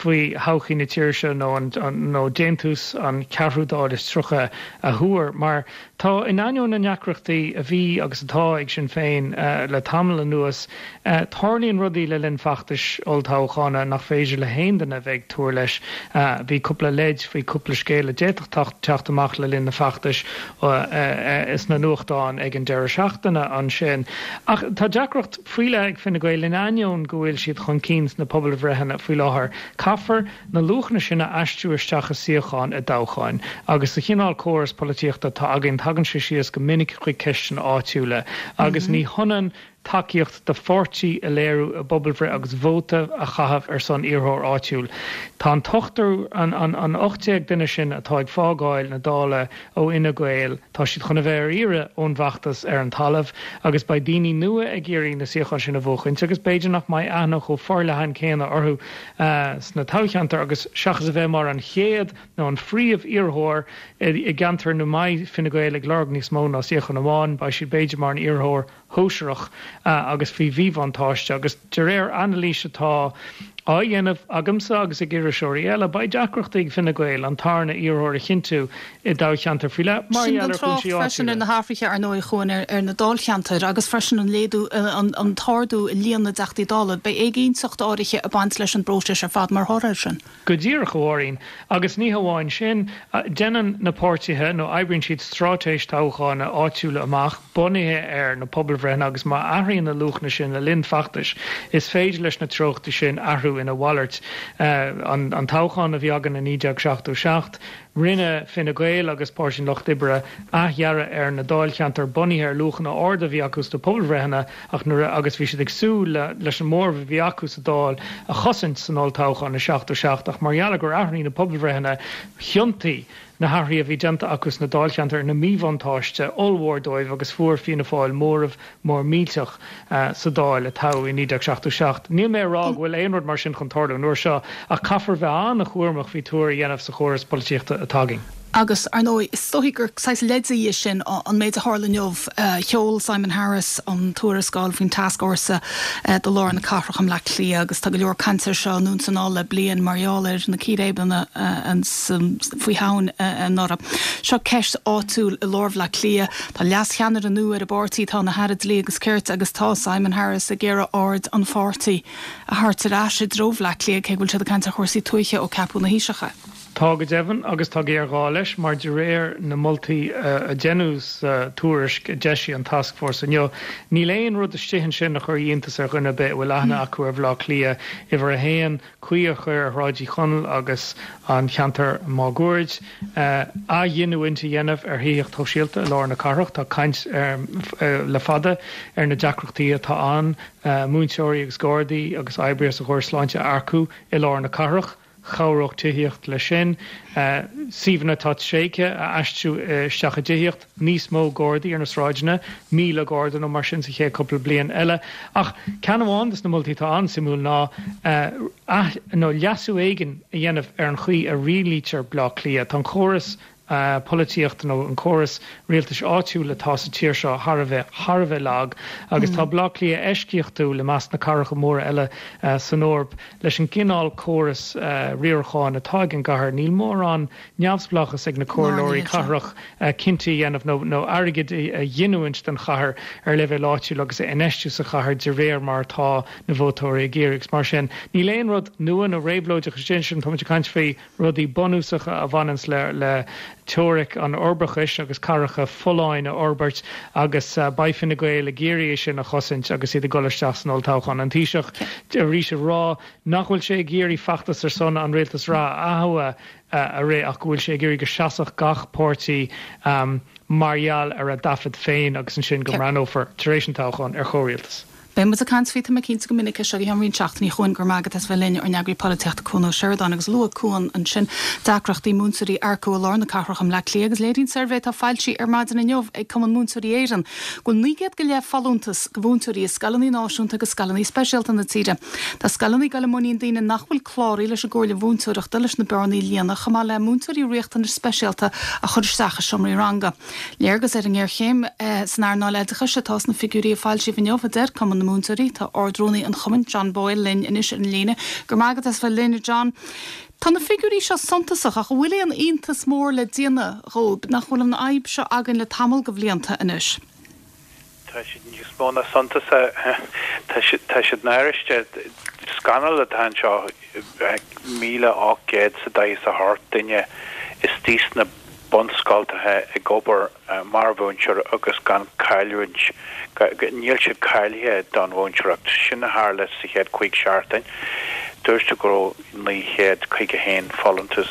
faoi thodhchaí na tíre seo nó nó déantús an cheathrú Dáil is 30 a thuar mar tá, in ainneoin na ndeacrachtaí a bhí agus atá ag Sinn Féin le tamall anuas, tarlaíonn rudaí le linn feachtais olltoghchána nach féidir le haon duine a bheith ag tuar leis. Bhí cúpla leid faoi cúpla scéal a d'fhéadfadh teacht amach le linn na feachtais sna nuachtáin ag an deireadh seachtaine ansin. Ach tá deacracht faoi leith ag Fine Gael in ainneoin go bhfuil siad chun cinn sna pobalbhreitheanna faoi láthair. Caithfear na luachanna sin a aistriú isteach i suíocháin i dtoghcháin. Agus sa chineál córas polaitíochta atá againn tagann sé síos go minic chuig ceisteanna áitiúla. Agus ní hionann tacaíocht do pháirtí a léiriú i bpobalbhreith agus vóta a chaitheamh ar son iarrthóir áitiúil. Tá an t-ochtar, an 18 duine sin atá ag fágáil na Dála ó Fhine Gael, tá siad chun a bheith ar iarraidh ón bhfeachtas ar an talamh agus beidh daoine nua ag iarraidh na suíocháin sin a bhuachaint agus b'fhéidir nach mbeidh aithne chomh forleathan céanna orthu sna toghcheantair agus seachas a bheith mar an chéad nó an phríomh-iarrthóir i gceantar ina mbeidh Fine Gael ag lorg níos mó ná suíochán amháin, beidh siad b'fhéidir mar an iarrthóir shóisearach agus faoi mhíbhuntáiste agus de réir anailís atá á dhéanamh agamsa agus ag iriseoirí eile, beidh deacrachtaí ag Fine Gael an tarna iarrthóir a chinntiú i dtoghcheantar faoi leith mar Sin gheall gan ar trácht chúinsí freisin ar áitiúla. na hathruithe, ar ndóigh, a Chuain, ar na dáilcheantair agus freisin an léadú, an t-ardú i líon na dTeachtaí Dála. Beidh éiginnteacht áirithe ag baint leis an bpróiseas ar fad mar thoradh air sin. Go díreach, a Mháirín. Agus ní hamháin sin, déanann na páirtithe, nó oibríonn siad straitéis toghcháin áitiúla amach bunaithe ar na pobalbhreitheanna agus má athraíonn na luachanna sin le linn feachtais, is féidir leis na treochtaí sin athrú ina mhalairt. An toghchán a bhí againn i 1977. Rinne Fine Gael agus Páirtí an Lucht Oibre athdhearadh ar na dáilcheantair bunaithe ar luachanna arda a bhí acu sna pobalbhreitheanna ach nuair a agus bhí siad ag súil le leis an móramh a bhí acu sa Dáil a chosaint san olltoghchán i 77 ach mar gheall ar gur athraigh na pobalbhreitheanna thiontaigh na hathruithe a bhí déanta acu sna dáilcheantair ina míbhuntáiste ollmhór dóibh agus fuair Fianna Fáil móramh mór millteach sa Dáil a toghadh i 1977. Níl mé ag rá go bhfuil aon rud mar sin chun tarlú an uair seo ach caithfear bheith an-chúramach faoi tuar a dhéanamh sa chóras polaitíochta atá againn. Agus, ar ndóigh, is dóichí gur saghas leid í sin an méid a tharla inniu. Sheol Simon Harris an tuarascáil faoin tascfhórsa do lár na cathrach i mBleá Cliath agus tá go leor cainte air seo anonn is anall le bliain mar gheall ar na círéibeanna faoi Shamhain anuraidh. Seo ceist áitiúil i lár Bhleá Cliath. Tá leas-cheannaire nua ar an bpáirtí, atá ina hAire Dlí agus Cirt agus tá Simon Harris ag iarraidh aird an pháirtí a thabhairt ar ais i dtreo Bhleá Cliath, cé go bhfuil siad ag caint ar chúrsaí tuaithe ó ceapadh ina Thaoiseach é. Tá go deimhin, agus tá géarghá leis, mar de réir na moltaí a deineadh sa tuairisc a d'eisigh an tascfhórsa inniu, níl aon rud istigh ansin a chuirfeadh iontas ar dhuine ar bith a bhfuil aithne acu ar Bhleá Cliath, uimhir a haon, caoi a chur ar Shráid Uí Chonaill agus an cheantar máguaird, athghiniúint a dhéanamh ar thithíocht shóisialta i lár na cathrach. Tá caint le fada ar na deacrachtaí atá ann múinteoirí agus gardaí agus oibrithe sa chóras sláinte a earcú i lár na cathrach. Chabhródh tithíocht leis sin. Suíomhanna atá tréigthe a aistriú isteach i dtithíocht. Níos mó gardaí ar na sráideanna, 1,000 garda nó mar sin sa chéad cúpla bliain eile. Ach ceann amháin de na moltaí atá an-suimiúil ná ath, nó leasú éigin a dhéanamh ar an chaoi a rialaítear Bleá Cliath. Tá an córas polaitíochta nó an córas rialtais áitiúil atá sa tír seo thar a bheith, thar a bheith lag agus tá Bleá Cliath eisceachtúil i measc na cathracha móra eile san Eoraip leis an gcineál córas riaracháin atá ag an gcathair. Níl mórán neamhspleáchas ag na comhairleoirí cathrach cinntí a dhéanamh nó airgead a ghiniúint don chathair ar leibhéal áitiúil agus a infheistiú sa chathair de réir mar atá na vótóirí ag iarraidh. Agus mar sin, níl aon rud nua nó réabhlóideach istigh ansin. Táimid ag caint faoi rudaí bunúsacha a bhaineanns le teoiric an uirbeachais agus cathracha folláin a fhorbairt agus beidh Fine Gael ag iarraidh é sin a chosaint agus iad ag dul isteach san olltoghchán. An Taoiseach arís ag rá nach bhfuil sé ag iarraidh feachtas ar son an rialtas reatha a thoghadh a rith ach go bhfuil sé ag iarraidh go seasfadh gach páirtí mar gheall ar a dtaifead féin agus ansin go mbreathnófar, tar éis an toghcháin, ar chomhrialtas. Beidh muid ag caint faoi, tá mé cinnte, go minic as seo go ceann roinnt seachtainí chugainn. Go raibh maith agat as bheith linn, ár n-eagraí polaitíochta Cuan Ó Seireadáin agus luaigh Cuan ansin deacrachtaí múinteoirí a earcú i lár na cathrach i mBleá Cliath agus léiríonn suirbhé atá foilsithe ar maidin inniu ag Cumann Múinteoirí Éireann go bhfuil 900 go leith folúntas do mhúinteoirí i scoileanna náisiúnta agus scoileanna speisialta na tíre. Tá scoileanna ag dul i muinín daoine nach bhfuil cláraithe leis an gComhairle Mhúinteoireachta leis na bearnaí a líonadh, chomh maith le múinteoirí riachtanais speisialta a chur isteach i seomraí ranga. Léargas ar an ngéarchéim san earnáil oideachais atá sna figiúirí a foilsíodh inniu, a deir Cumann na Múinteoirí. Tá Ard-Rúnaí an chumainn, John Boyle, linn anois ar an líne. Go raibh maith agat as bheith linn, a John. Tá na figiúirí seo suntasach ach an bhfuil aon iontas mór le déanamh dhóibh nach bhfuil an fhadhb seo againn le tamall de bhlianta anois? Tá siad níos mó ná suntasach. Tá siad, tá siad náiriúil. Scannal atá anseo. 1,848 duine istigh sna bunscoltacha ag obair mar mhúinteoir agus gan cáiliúint, níl siad cáilithe don mhúinteoireacht. Sin a tharla sa chéad chúig seachtain. Dúirt tú go raibh 951 folúntas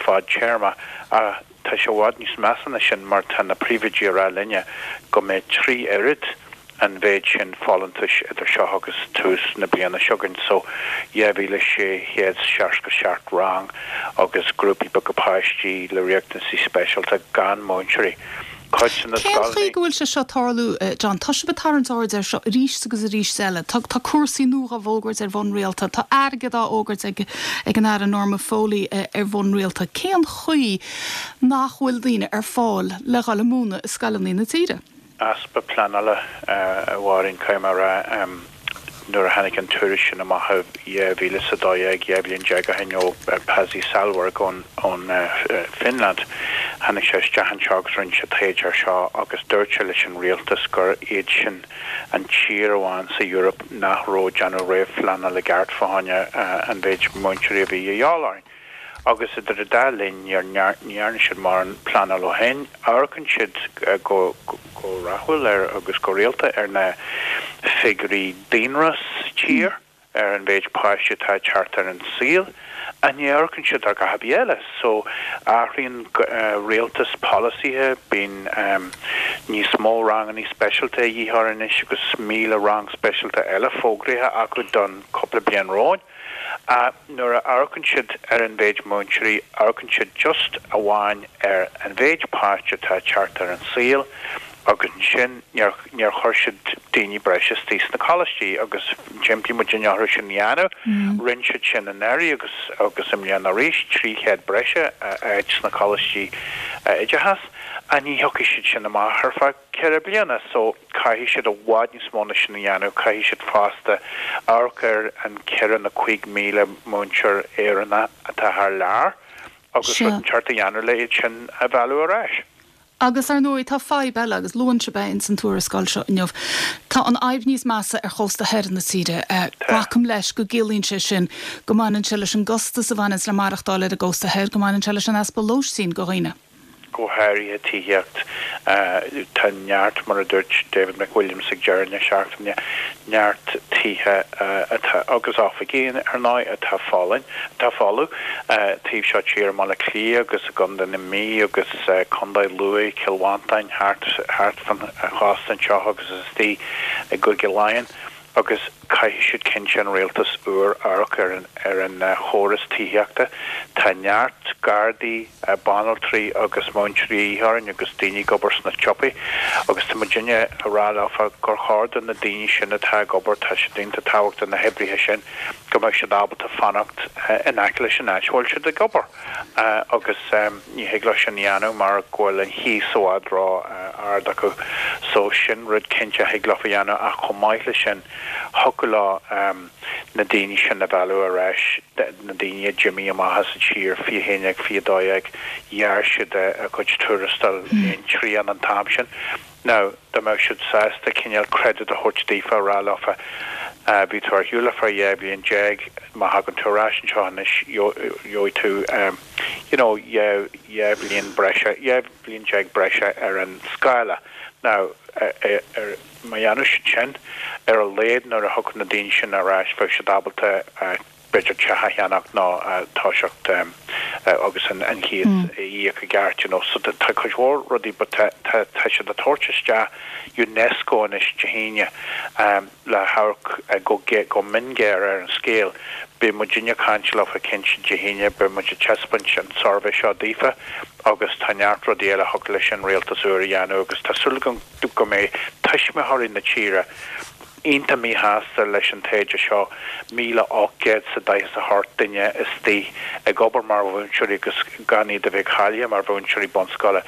fadtéarma ach Tá sé i bhfad níos measa ná sin mar tá na príomhoidí ag rá linne go mbeidh 3 oiread an mhéid sin folúntais idir seo agus tús na bliana seo chugainn, so 2,667 rang agus grúpaí beaga páistí le riachtanaisí speisialta gan múinteoirí. Cuid de na Cén chaoi go bhfuil sé seo ag tarlú, John? Tá sibh ag tarraingt aird air seo arís agus arís eile. Tá tá cúrsaí nua á bhfógairt ar bhonn rialta. Tá airgead á fhógairt ag ag an Aire Norma Foley ar bhonn rialta. Cén chaoi nach bhfuil daoine ar fáil le dhul ag múineadh i scoileanna na tíre? Easpa pleanála, a Mháirín, caithfidh mé a rá. Nuair a tháinig an tuairisc sin amach i 2012, 12 bhliain ó shin, ó Pasi Sahlberg ón Finland, tháinig sé isteach anseo agus rinne sé taighde air seo agus dúirt sé leis an rialtas gur iad sin an tír amháin sa Eoraip nach raibh ag déanamh réamhphleanáil i gceart fá choinne an mhéid múinteoirí a bhí a dhíobháil orainn. Agus idir an dá linn ní dhearna siad mórán pleanáil ó shin. Amharcann siad go rathúil ar agus go rialta ar na figiúirí daonra sa tír, ar an mhéid páistí atá ag teacht ar an saol. Ach ní amharcann siad ar dhath ar bith eile. So, athraíonn rialtas polasaithe, bíonn níos mó rangannaí speisialta a dhíth orainn anois agus 1,000 rang speisialta eile fógraithe acu don cúpla bliain romhainn. Ach nuair a amharcann siad ar an mhéid múinteoirí, amharcann siad just amháin ar an mhéid páiste atá ag teacht ar an saol agus ansin níor, níor chuir siad daoine breise istigh sna coláistí agus d'impigh muidinne orthu sin a dhéanamh. Rinne siad sin anuraidh agus agus i mbliana arís, 300 breise áit sna coláistí oideachais. Ach ní thiocfaidh siad sin amach ar feadh 4 bliana so caithfidh siad i bhfad níos mó ná sin a dhéanamh. Caithfidh siad fosta amharc ar an 4 nó 5,000 múinteoir Éireannach atá thar lear agus rud inteacht a dhéanamh le iad sin a mhealladh ar ais. Agus, ar ndóigh, tá fadhb eile, agus luann sibh é ins an tuarascáil seo inniu. Tá an fhadhb níos measa ar chósta thoir na tíre. Glacaim leis go gciallaíonn sé sin go mbaineann sé leis an gcostas a bhaineanns le maireachtáil ar an gcósta thoir, go mbaineann sé leis an easpa lóistín go dhaoine. Go háirithe tithíocht. Tá neart, mar a dúirt David McWilliams ag deireadh na seachtaine, neart tithe atá, agus oifigí, ar ndóigh, atá folláin, atá folamh, taobh seo tíre i mBaile Átha Cliath agus i gContae na Mí agus Contae Lú, Cill Mhantáin, thart, thart fan chósta anseo agus istigh i gCúige Laighean agus caithfidh siad cinnte, an rialtas úr, amharc ar an, ar an chóras tithíochta. Tá neart gardaí, banaltraí agus múinteoirí a dhíth orainn agus daoine ag obair sna siopaí agus tá muidinne a rá leofa gur chóir do na daoine sin atá ag obair, tá siad iontach tábhachtach na hoibrithe sin, go mbeadh siad ábalta fanacht in aice leis an áit a bhfuil siad ag obair agus ní thig leo sin a dhéanamh mar go bhfuil an chíos i bhfad ró ard acu so sin rud cinnte a thig leofa a dhéanamh ach chomh maith le sin thiocfadh leo na daoine sin a mhealladh ar ais, na daoine a d'imigh amach as an tír, 21, 22, ghearr siad a gcuid tuarastail aon trian an t-am sin. Now, dá mbeadh siad sásta cineál credit a thabhairt daofa, a rá leofa, bhí tú ar shiúl ar feadh 12 bhliain, má thagann tú ar ais anseo anois, gheobhaidh tú, you know, 12 bhliain breise, 12 bhliain breise ar an scála. Now, ar, má dhéanadh siad sin, ar a laghad nuair a thiocfadh na daoine sin ar ais, bheadh siad ábalta, b'fhéidir teach a cheannach nó toiseacht agus an chíos a íoc i gceart, you know. So tá cuid mhór rudaí but tá tá tá siad ag tabhairt isteach UNESCO anois Dé hAoine le hamharc go go mionghéar ar an scéal. Beidh muidinne ag caint leofa cinnte Dé hAoine, beidh muid ag taispeáint an suirbhé seo daofa agus tá neart rudaí eile a thiocfadh leis an rialtas úr a dhéanamh agus tá súil agam go mbeidh tuismitheoirí na tíre iontach míshásta leis an taighde seo, 1,848 duine istigh ag obair mar mhúinteoirí agus gan iad a bheith cáilithe mar mhúinteoirí bunscoile.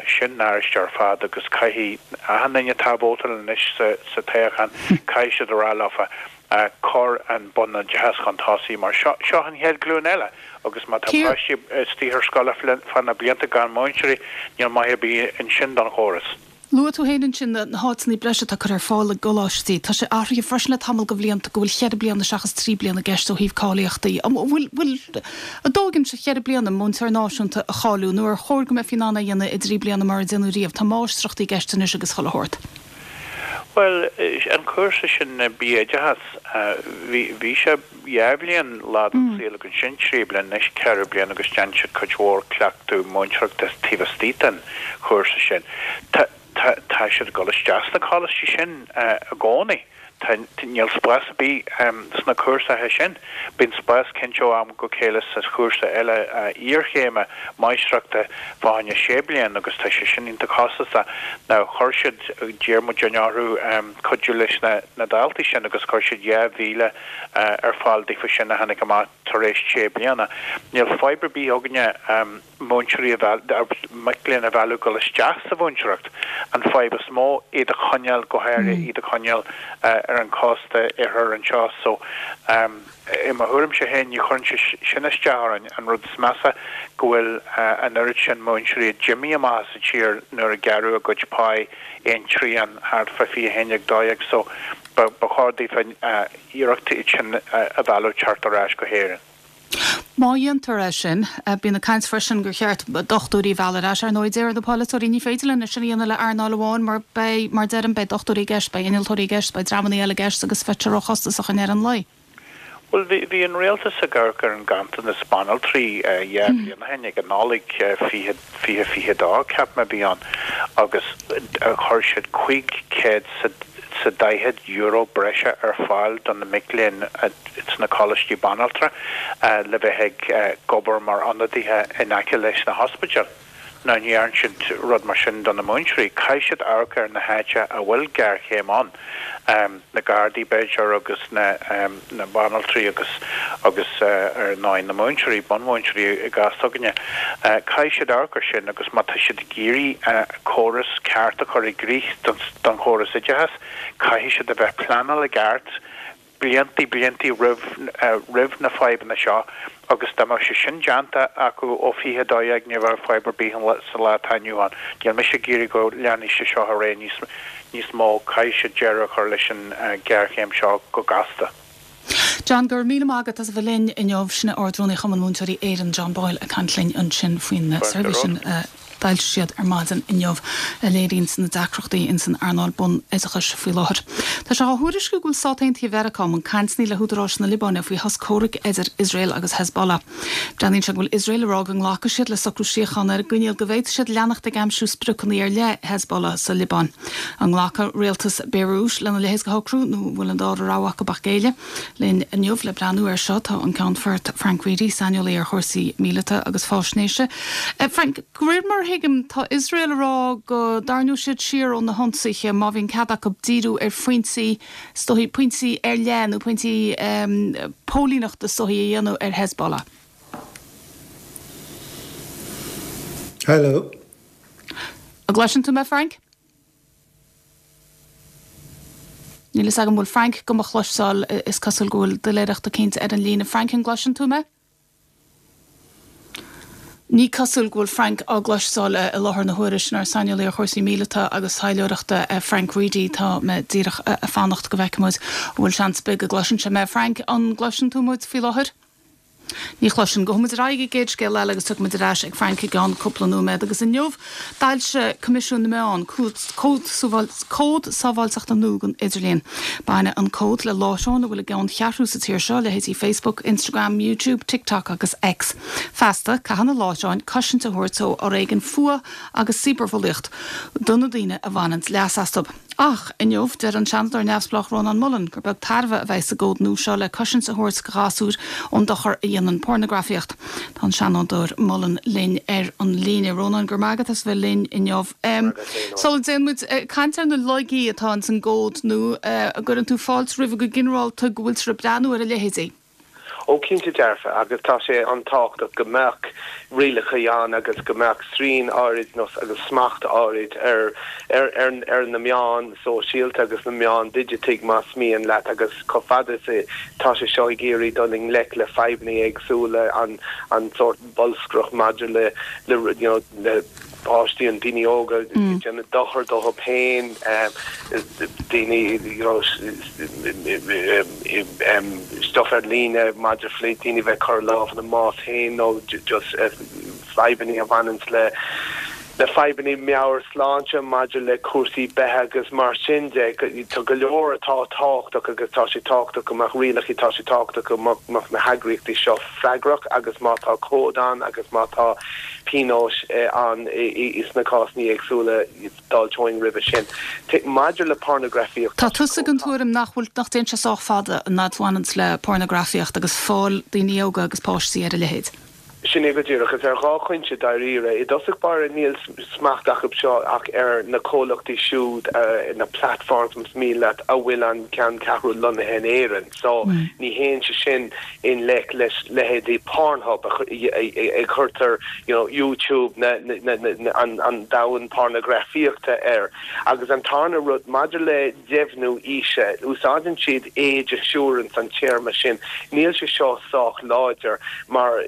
Sin náiriúil ar fad agus caithfidh achan duine atá ag vótáil anois sa toghchán, caithfidh siad a rá leofa, cuir an bunoideachas chun tosaigh mar seo seo an chéad ghlúin eile agus má tá páistí istigh ar scoil ar feadh na blianta gan múinteoirí, níl maith ar bith ansin don chóras. Luaigh tú féin ansin na háiteanna breise atá curtha ar fáil i gcoláistí. Tá sé athraithe freisin le tamall de bhlianta go bhfuil cheithre bliana seachas trí bliana i gceist ó thaobh cáilíochtaí. An bhfuil a dóthain sa cheithre bliana múinteoir náisiúnta a cháiliú nó ar chóir go mbeifí in ann é a dhéanamh i dtrí bliana mar a déanadh riamh? Tá máistreachtaí i gceist anois agus chuile shórt. Bhuel, an cúrsa sin BA Oideachas, bhí sé dhá bhliain lá den saol agus ansin trí bliana, anois ceithre bliana agus déanann siad cuid mhór cleachtadh múinteoireachta taobh istigh den chúrsa sin. Tá, tá, tá siad ag dul isteach sna coláistí sin i gcónaí. Tá, níl spás ar bith sna cúrsaithe sin. Bíonn spás cinnte ó am go chéile sa chúrsa eile iarchéime, máistreachta, fá choinne sé bliana agus tá sé sin iontach costasach. Now chuir siad, d'iarr muidinne orthu cuidiú leis na, na daltaí sin agus chuir siad 2,000 ar fáil daofa sin a tháinig amach tar éis sé bliana. Níl fadhb ar bith againne múinteoirí a mhealladh, mic léinn a mhealladh dul isteach sa mhúinteoireacht. An fadhb is mó, iad a choinneáil, go háirithe iad a choinneáil ar an chósta oirthir anseo. So, i mo thuairimse féin, ní chuireann sé sin isteach orainn. An rud is measa go bhfuil an oiread sin múinteoirí a d'imigh amach as an tír nuair a gearradh a gcuid páí aon trian thart fá 21, 12. So, Ba chóir daofa iarracht iad sin a mhealladh teacht ar ais go hÉirinn. Má dhéantar é sin, bíonn ag caint freisin gur cheart dochtúirí a mhealladh ar ais. Ar ndóigh, deir na polaiteoirí, ní féidir linn é sin a dhéanamh le earnáil amháin mar beidh, mar deirim, beidh dochtúirí i gceist, beidh innealtóirí i gceist, beidh dreamanna eile i gceist agus bheadh sé róchostasach i ndeireadh an lae. Bhuel, bhí an rialtas ag amharc ar an ganntanas banaltraí 2 bhliain ó shin, ag an Nollaig 2022, ceapaim a bhí ann, agus chuir siad €540 breise ar fáil do na mic léinn sna coláistí banaltra le bheith ag obair mar ionadaithe in aice leis na hospidéil. Now ní dhearn siad rud mar sin do na múinteoirí. Caithfidh siad amharc ar na háite a bhfuil géarchéim ann, na Gardaí b'fhéidir agus na na banaltraí agus agus ar ndóigh na múinteoirí, bunmhúinteoirí i gcás s'againne. Caithfidh siad amharc ar sin agus má tá siad ag iarraidh córas ceart a chur i gcrích don chóras oideachais, caithfidh siad a bheith pleanáil i gceart, bliantaí, bliantaí roimh, roimh na fadhbanna seo agus dá mbeadh sé sin déanta acu ó 2012 ní bheadh fadhb ar bith sa lá atá inniu ann. Níl mise ag iarraidh go leanfaidh sé seo ar aghaidh níos, níos mó, caithfidh siad deireadh a chur leis an ghéarchéim seo go gasta. John, go raibh míle maith agat as a bheith linn inniu. Sin é Ard-Rúnaí Chumann Múinteoirí Éireann, John Boyle, ag caint linn ansin faoin suirbhé sin a d'fhoilsigh siad ar maidin inniu a léiríonns na deacrachtaí ins an earnáil bun-oideachais faoi láthair. Tá sé á thuairisciú go bhfuil Stát Aontaithe Mheiriceá i mbun cainteanna le húdaráis na Liobáine faoi shos comhraic idir Iosrael agus Hezbollah. Breathnaíonn sé go bhfuil Iosrael ag rá go nglacfaidh siad le socrú síochána ar an gcoinníoll go bhféadfaidh siad leanacht ag aimsiú spriocanna ar leith Hezbollah sa Liobáin. An nglacfaidh rialtas Béiriút lena leithéid de shocrú nó an bhfuil an dara rogha acu ach géilleadh? Linn inniu le breathnú air seo tá an Ceannfort Frank Reidy, saineolaí ar chúrsaí míleata agus faisnéise. Frank, de réir mar a thuigim, tá Iosrael ag rá go dtarraingeoidh siad siar ó na hionsaithe má bhíonn cead acu díriú ar phointí, is dóichí, pointí ar leith nó pointí póilíneachta is dóichí a dhéanamh ar Hezbollah. Hello. An gcloiseann tú mé, Frank? Níl fhios agam an bhfuil Frank do mo chloisteáil, is cosúil go bhfuil doiléireacht eicínt ar an líne. Frank, an gcloiseann tú mé? Ní cosúil go bhfuil Frank á gcloisteáil i láthair na huaire. Sin ár saineolaí ar chúrsaí míleata agus taidhleoireachta, Frank Reidy. Tá mé díreach ag fanacht go bhfeicfidh muid an bhfuil seans ar bith go gcloiseann sé mé. Frank, an gcloiseann tú muid faoi láthair? Ní chloisim. Gabhfaidh muid ar aghaidh ag an gcéad scéal eile agus tiocfaidh muid ar ais ag Frank i gceann cúpla nóiméad. Agus inniu d'fhoilsigh Coimisiún na Meán cód sábháilteachta nua don idirlíon. Baineann an cód le láithreáin a bhfuil a gceanncheathrú sa tír seo, leithéidí Facebook, Instagram, YouTube, TikTok agus X. Feasta, caithfidh na láithreáin cosaint a thabhairt ó fhoréigean, fuath agus cibearbhulaíocht do na daoine a bhaineanns leas astu. Ach, inniu, deir an Seanadóir neamhspleách Rónán Mullen gur beag tairbhe a bheidh sa gcód nua seo le cosaint a thabhairt do ghasúir ón dochar a dhéanann pornagrafaíocht. Tá an Seanadóir Mullen linn ar an líne. Rónán, go raibh maith agat as a bheith linn inniu. Sula dtéann muid ag caint ar na laigí atá ins an gcód nua, an gcuireann tú fáilte roimhe go ginearálta go bhfuiltear ag breathnú ar a leithéidí? Ó cinnte dearfa, agus tá sé an-tábhachtach go mbeadh rialacha ann agus go mbeadh srian áirid nó agus smacht áirid ar ar ar na meáin sóisialta agus na meáin digitigh más mian leat agus chomh fada is tá sé seo ag iarraidh dul i ngleic le fadhbanna éagsúla an an sórt bolscaireacht maidir le le you know le páistí an daoine óga ag déanamh dochar dóibh féin, daoine you know stuff ar líne maidir le daoine bheith ag cur lámh ina mbás féin nó just fadhbanna a bhaineanns le le fadhbanna meabhairshláinte maidir le cúrsaí beatha agus mar sin de. Tá go leor atá tábhachtach agus tá sé tábhachtach go mbeadh rialacha, tá sé tábhachtach go mbeadh na heagraíochtaí seo freagrach agus má tá cód ann agus má tá pionóis ann sna cásanna éagsúla, d'fháilteoinn roimhe sin. Maidir le pornagrafaíocht, Tá tusa den tuairim nach bhfuil, nach dtéann sé sách fada an fhad a bhaineanns le pornagrafaíocht agus fáil daoine óga agus páistí ar a leithéid. Sin é go díreach. Is ar dhá chúinse dáiríre. I dtosach báire níl smacht acu seo ach ar na comhlachtaí siúd, na platforms más mian leat, a bhfuil an ceanncheathrú lonnaithe in Éirinn. So ní théann sé sin i ngleic leis leithéidí Pornhub a chuirtear you know YouTube na an domhan pornagrafaíochta air. Agus an tarna rud, maidir le deimhniú aoise, úsáideann siad age assurance an téarma sin. Níl sé seo sách láidir mar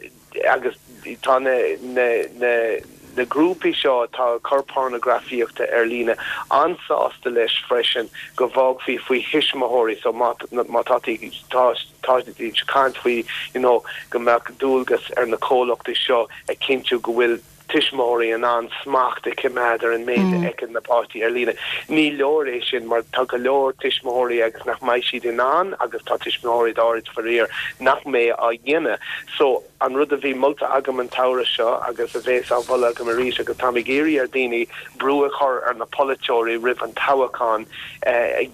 agus tá na na na na grúpaí seo atá ag cur pornagrafaíochta ar líne an-sásta leis freisin go bhfágfaí faoi thuismitheoirí so má má tá tá tá siad ag caint faoi you know go mbeadh dualgas ar na comhlachtaí seo a chinntiú go bhfuil. tuismitheoirí in ann smacht a choimeád ar an méid a fheiceann na páistí ar líne. Ní leor é sin mar tá go leor tuismitheoirí agus nach mbeidh siad in ann agus tá tuismitheoirí áirid faraor nach mbeidh á dhéanamh. So, an rud a bhí molta agam an tsamhradh seo agus a bhéas á mholadh agam arís agus táim ag iarraidh ar dhaoine brú a chur ar na polaiteoirí roimh an toghachán,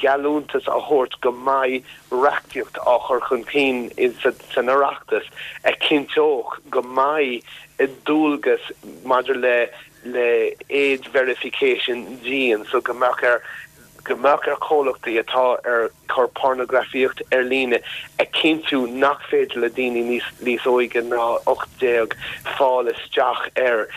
geallúntas a thabhairt go mbeidh reachtaíocht á chur chun cinn san Oireachtas a chinnteodh go mbeidh dualgas maidir le le age verification dian so go mbeadh ar go mbeadh ar chomhlachtaí atá ar cur pornagrafaíocht ar líne a chinntiú nach féidir le daoine níos níos óige ná 18 fáil isteach air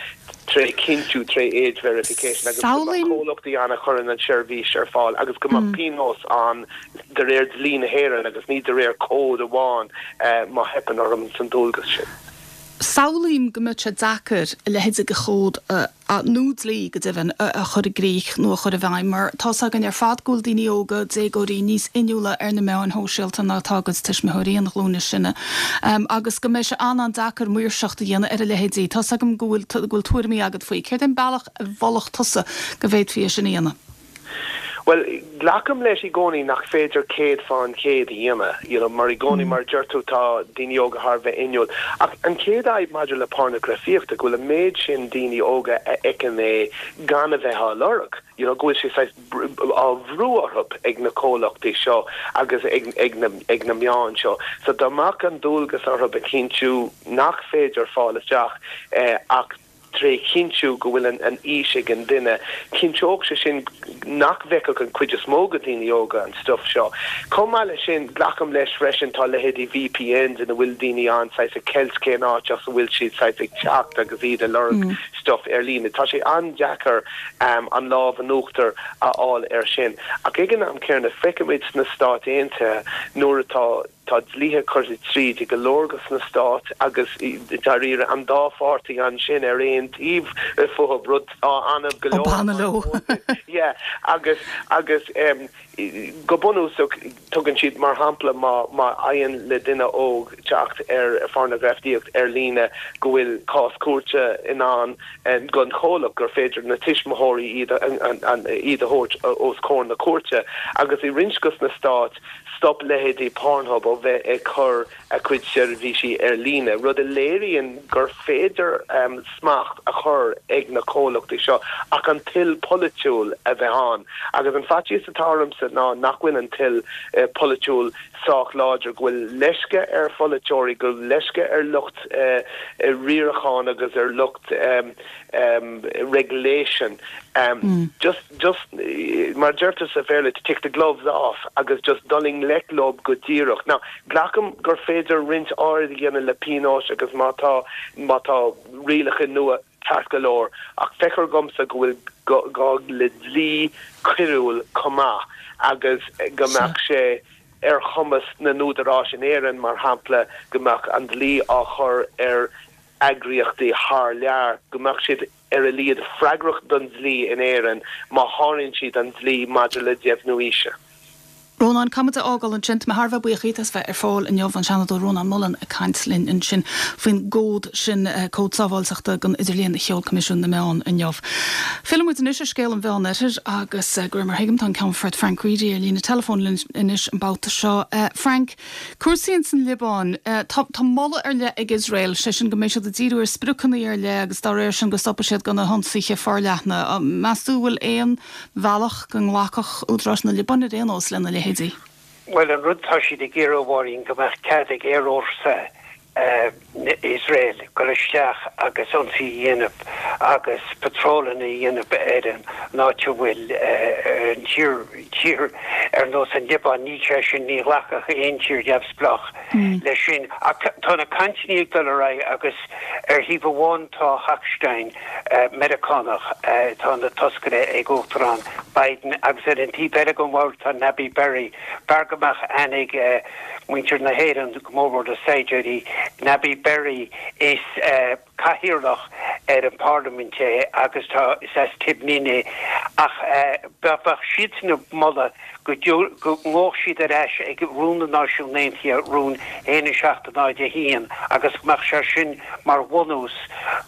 tré chinntiú tré age verification agus go mbeadh comhlachtaí ann a chuireann an seirbhís ar fáil agus go mbeadh pionós ann de réir dlí na hÉireann agus ní de réir cód amháin má theipeann orthu san dualgas sin. Samhlaím go mbeadh sé deacair a leithéid de chód, nó dlí go deimhin, a chur i gcrích nó a chur i bhfeidhm mar tá's againn ar fad go bhfuil daoine óga, déagóirí, níos inniúla ar na meáin shóisialta ná atá a gcuid tuismitheoirí, an ghlúin is sine, agus go mbeidh sé an-an-deacair maoirseacht a dhéanamh ar a leithéidí. Tá's agam go bhfuil go bhfuil tuairimí agat faoi. Céard é an bealach a mholfadh tusa go bhféadfaí é sin a dhéanamh? Bhuel, glacaim leis i gcónaí nach féidir 100% a dhéanamh, you know, mar i gcónaí, mar a deir tú, tá daoine óga thar a bheith inniúil. Ach an chéad fhadhb maidir le pornagrafaíocht, go bhfuil an méid sin daoine óga a fheiceann é gan a bheith á lorg, you know, go bhfuil sé saghas á bhrú orthu ag na comhlachtaí seo agus ag, ag na, ag na meáin seo. So dá mbeadh an dualgas orthu a chinntiú nach féidir fáil isteach ach, tré chinntiú go bhfuil an aois ag an duine. Chinnteodh sé sin nach bhfeicfeadh an chuid is mó de dhaoine óga an stuif seo. Chomh maith leis sin, glacaim leis freisin, tá leithéidí VPNs ina bhfuil daoine ann saghas ag ceilt cén áit as a bhfuil siad saghas ag teacht agus iad ag lorg stuif ar líne. Tá sé an-deacair an lámh in uachtar a fháil air sin. Ach ag an am céanna, feicimid sna Stáit Aontaithe nuair atá. Tá dlíthe curtha tríd i go leor de na stáit agus dáiríre an dá pháirtí ansin ar aon taobh fúthu, rud atá annamh go leor. Obama leo. Yeah, agus, agus go bunúsach tugann siad mar shampla má, má éiríonn le duine óg teacht ar phornagrafaíocht ar líne go bhfuil cás cúirte i ndán don chomhlacht, gur féidir na tuismitheoirí iad a, iad a thabhairt os comhair na cúirte agus i roinnt de na stáit Stop leithéidí Pornhub ó bheith ag cur a cuid seirbhísí ar líne, rud a léiríonn gur féidir smacht a chur ag na comhlachtaí seo ach an toil polaitiúil a bheith ann. Agus an faitíos atá ormsa ná nach bhfuil an toil polaitiúil sách láidir, go bhfuil leisce ar pholaiteoirí, go bhfuil leisce ar lucht riaracháin agus ar lucht regulation just just mar a deirtear sa Bhéarla to take the gloves off agus just dul i ngleic leo go díreach. Now glacaim gur féidir roinnt áirid a dhéanamh le pionóis agus má tá má tá rialacha nua ceart go leor ach feictear dhomsa go bhfuil gá le dlí coiriúil chomh maith agus go mbeadh sé ar chumas na n-údaráis in Éirinn mar shampla go mbeadh an dlí á chur ar eagraíochtaí thar lear, go mbeadh siad ar a laghad freagrach don dlí in Éirinn má sháraíonn siad an dlí maidir le deimhniú aoise. Rónán, caithfidh muid a fhágáil ansin. Tá mé thar a bheith buíoch díot as bheith ar fáil inniu, an Seanadóir Rónán Mullen ag caint linn ansin faoin gcód sin, Cód Sábháilteachta don Idirlíon a sheol Coimisiún na Meán inniu. Filleann muid anois ar scéal an Mheánoirthir agus, de réir mar a thuigim, tá an Ceannfort Frank Reidy ar líne teileafóin linn anois an babhta seo. Frank, Cúrsaí ins an Liobáin. Tá tá moladh ar leith ag Iosrael, sé sin go mbeidh siad ag díriú ar spriocanna ar leith agus dá réir sin go stopfaidh siad de na hionsaithe forleathna. Meas tú an bhfuil aon bhealach go nglacfadh údaráis na Liobáine ar aon nós lena leithéidí? Bhuel, an rud atá siad ag iarraidh, a Mháirín, go mbeadh cead ag aerfhórsa Iosrael dul isteach agus ionsaí a dhéanamh agus patrólanna a dhéanamh ar an áit a bhfuil an tír, tír ar nós an Liobáin, níl sé sin, ní ghlacfadh aon tír neamhspleách leis sin. Ach tá na cainteanna ag dul ar aghaidh agus ar thaobh amháin tá Hochstein, Meiriceánach, atá ina toscaire ag Uachtarán Biden agus ar an taobh eile den bhord tá Nabih Berri. B'fhearr go mbeadh aithne ag muintir na hÉireann, go mór mór na saighdiúirí, Nabih Berri, is cathaoirleach ar an bparlaimint é agus tá, is as Tibnin é. Ach bheadh siadsan ag moladh go ngabhfadh siad ar ais ag Rún na Náisiún Aontaithe, Rún 1 7 0 1, agus go mbeadh sé sin mar bhunús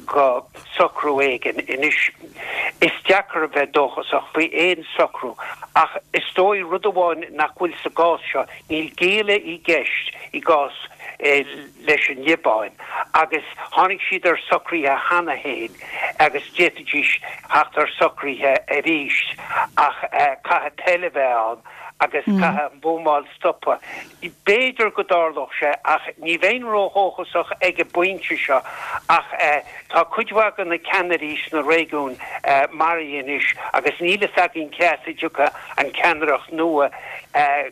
go socrú éigin. Anois, is deacair a bheith dóchasach faoi aon socrú, ach is dóigh rud amháin nach bhfuil sa gcás seo, níl géilleadh i gceist i gcás leis an Liobáin agus tháinig siad ar socruithe cheana féin agus d'fhéadfaidís theacht ar socruithe arís ach caithfidh toil a bheith ann agus caithfidh an bhuamáil stopadh. B'fhéidir go dtarlódh sé ach ní bheinn ródhóchasach ag an bpointe seo ach tá cuid mhaith de na ceannairí sna réigiúin maraithe anois agus níl fhios againn cé as a dtiocfaidh an ceannaireacht nua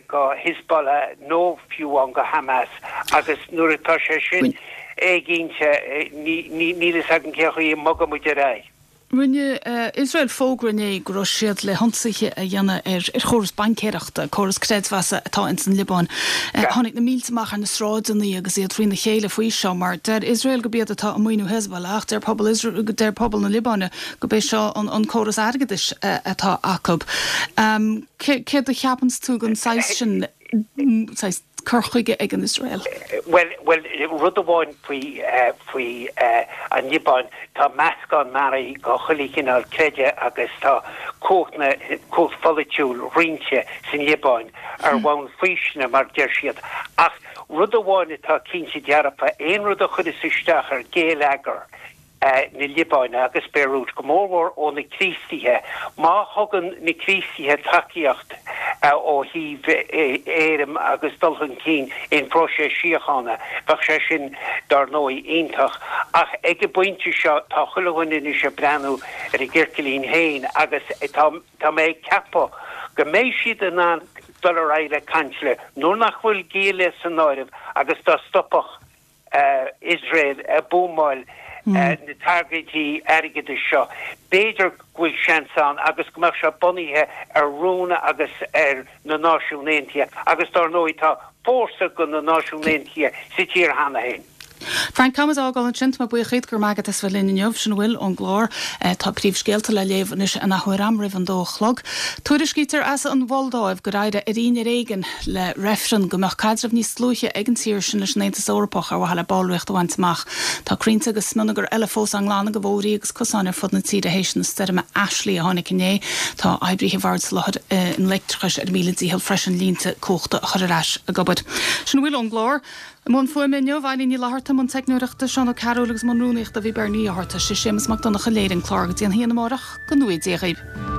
go Hezbollah nó fiú amháin go Hamas agus nuair atá sé sin éiginnte níl fhios againn cén chaoi a mbogfaidh muid ar aghaidh. Rinne Iosrael fógra inné go raibh siad le hionsaithe a dhéanamh ar chóras baincéireachta, córas creidmheasa atá ins an Liobáin. Tháinig na mílte amach ar na sráideanna agus iad faoina chéile faoi seo mar deir Iosrael gurb iad atá ag maoiniú Hezbollah ach deir pobal deir pobal na Liobáine gurb é seo an córas airgeadais atá acu. Céard a cheapanns tú den saghas sin saghas cur chuige ag an Iosrael? Bhuel, bhuel, rud amháin faoi, faoi an Liobáin, tá meascán mearaí de chuile chineál creideamh agus tá cumhacht na, cumhacht pholaitiúil roinnte san Liobáin ar bhonn faoistine, mar deir siad. Ach rud amháin atá cinnte dearfa, aon rud a chuireas isteach ar ghéilleagar, na Liobáine agus Beirut, go mórmhór ó na Críostaithe. Má thugann na Críostaithe tacaíocht ó thaobh airm agus dul chun cinn in phróiseas síochána, bheadh sé sin, dár ndóigh, iontach. Ach ag an bpointe seo, tá chuile dhuine anois ag breathnú ar a gcircilín féin agus tá tá mé ag ceapadh go mbeidh siad in ann dul ar aghaidh le caint nuair nach bhfuil géilleadh san áireamh agus dá stopfadh Iosrael ag buamáil na targaidí airgeadais seo, b'fhéidir go bhfuil seans ann agus go mbeadh sé bunaithe ar rún agus ar na Náisiúin Aontaithe agus dár ndóigh tá fórsa de na Náisiúin Aontaithe sa tír cheana féin. Frank, tá muid á fhágáil ansin. Tá mé buíoch díot, go raibh maith agat as bheith linn inniu. Sin a bhfuil ón gclár. Tá príomhscéalta le léamh anois in athuair am roimh an dó a chlog. Tuairiscítear as an Mholdáiv gur éirigh ar ar éigean le reifreann go mbeadh caidreamh níos dlúithe ag an tír sin leis an Aontas Eorpach ar mhaithe le ballraíocht a bhaint amach. Tá crainnte agus smionagar eile fós á nglanadh de bhóithrí agus cosáin ar fud na tíre théis na stoirme Ashley a tháinig inné. Tá oibríthe Bhord Soláthair an Leictreachais ar a míle dícheall freisin línte cumhachta a chur ar ais ag obair. Sin a bhfuil ón gclár. I mbun fuaime inniu, Eilín Ní Fhlatharta, i mbun teicneoireachta, Seán Ó Cearúil agus i mbun rúnaíochta bhí Bernie Ó hÁrta. Sé Séamus Mac Donncha a léirigh an clár go dtí an haon amárach, go ngnóthaí Dia dhaoibh.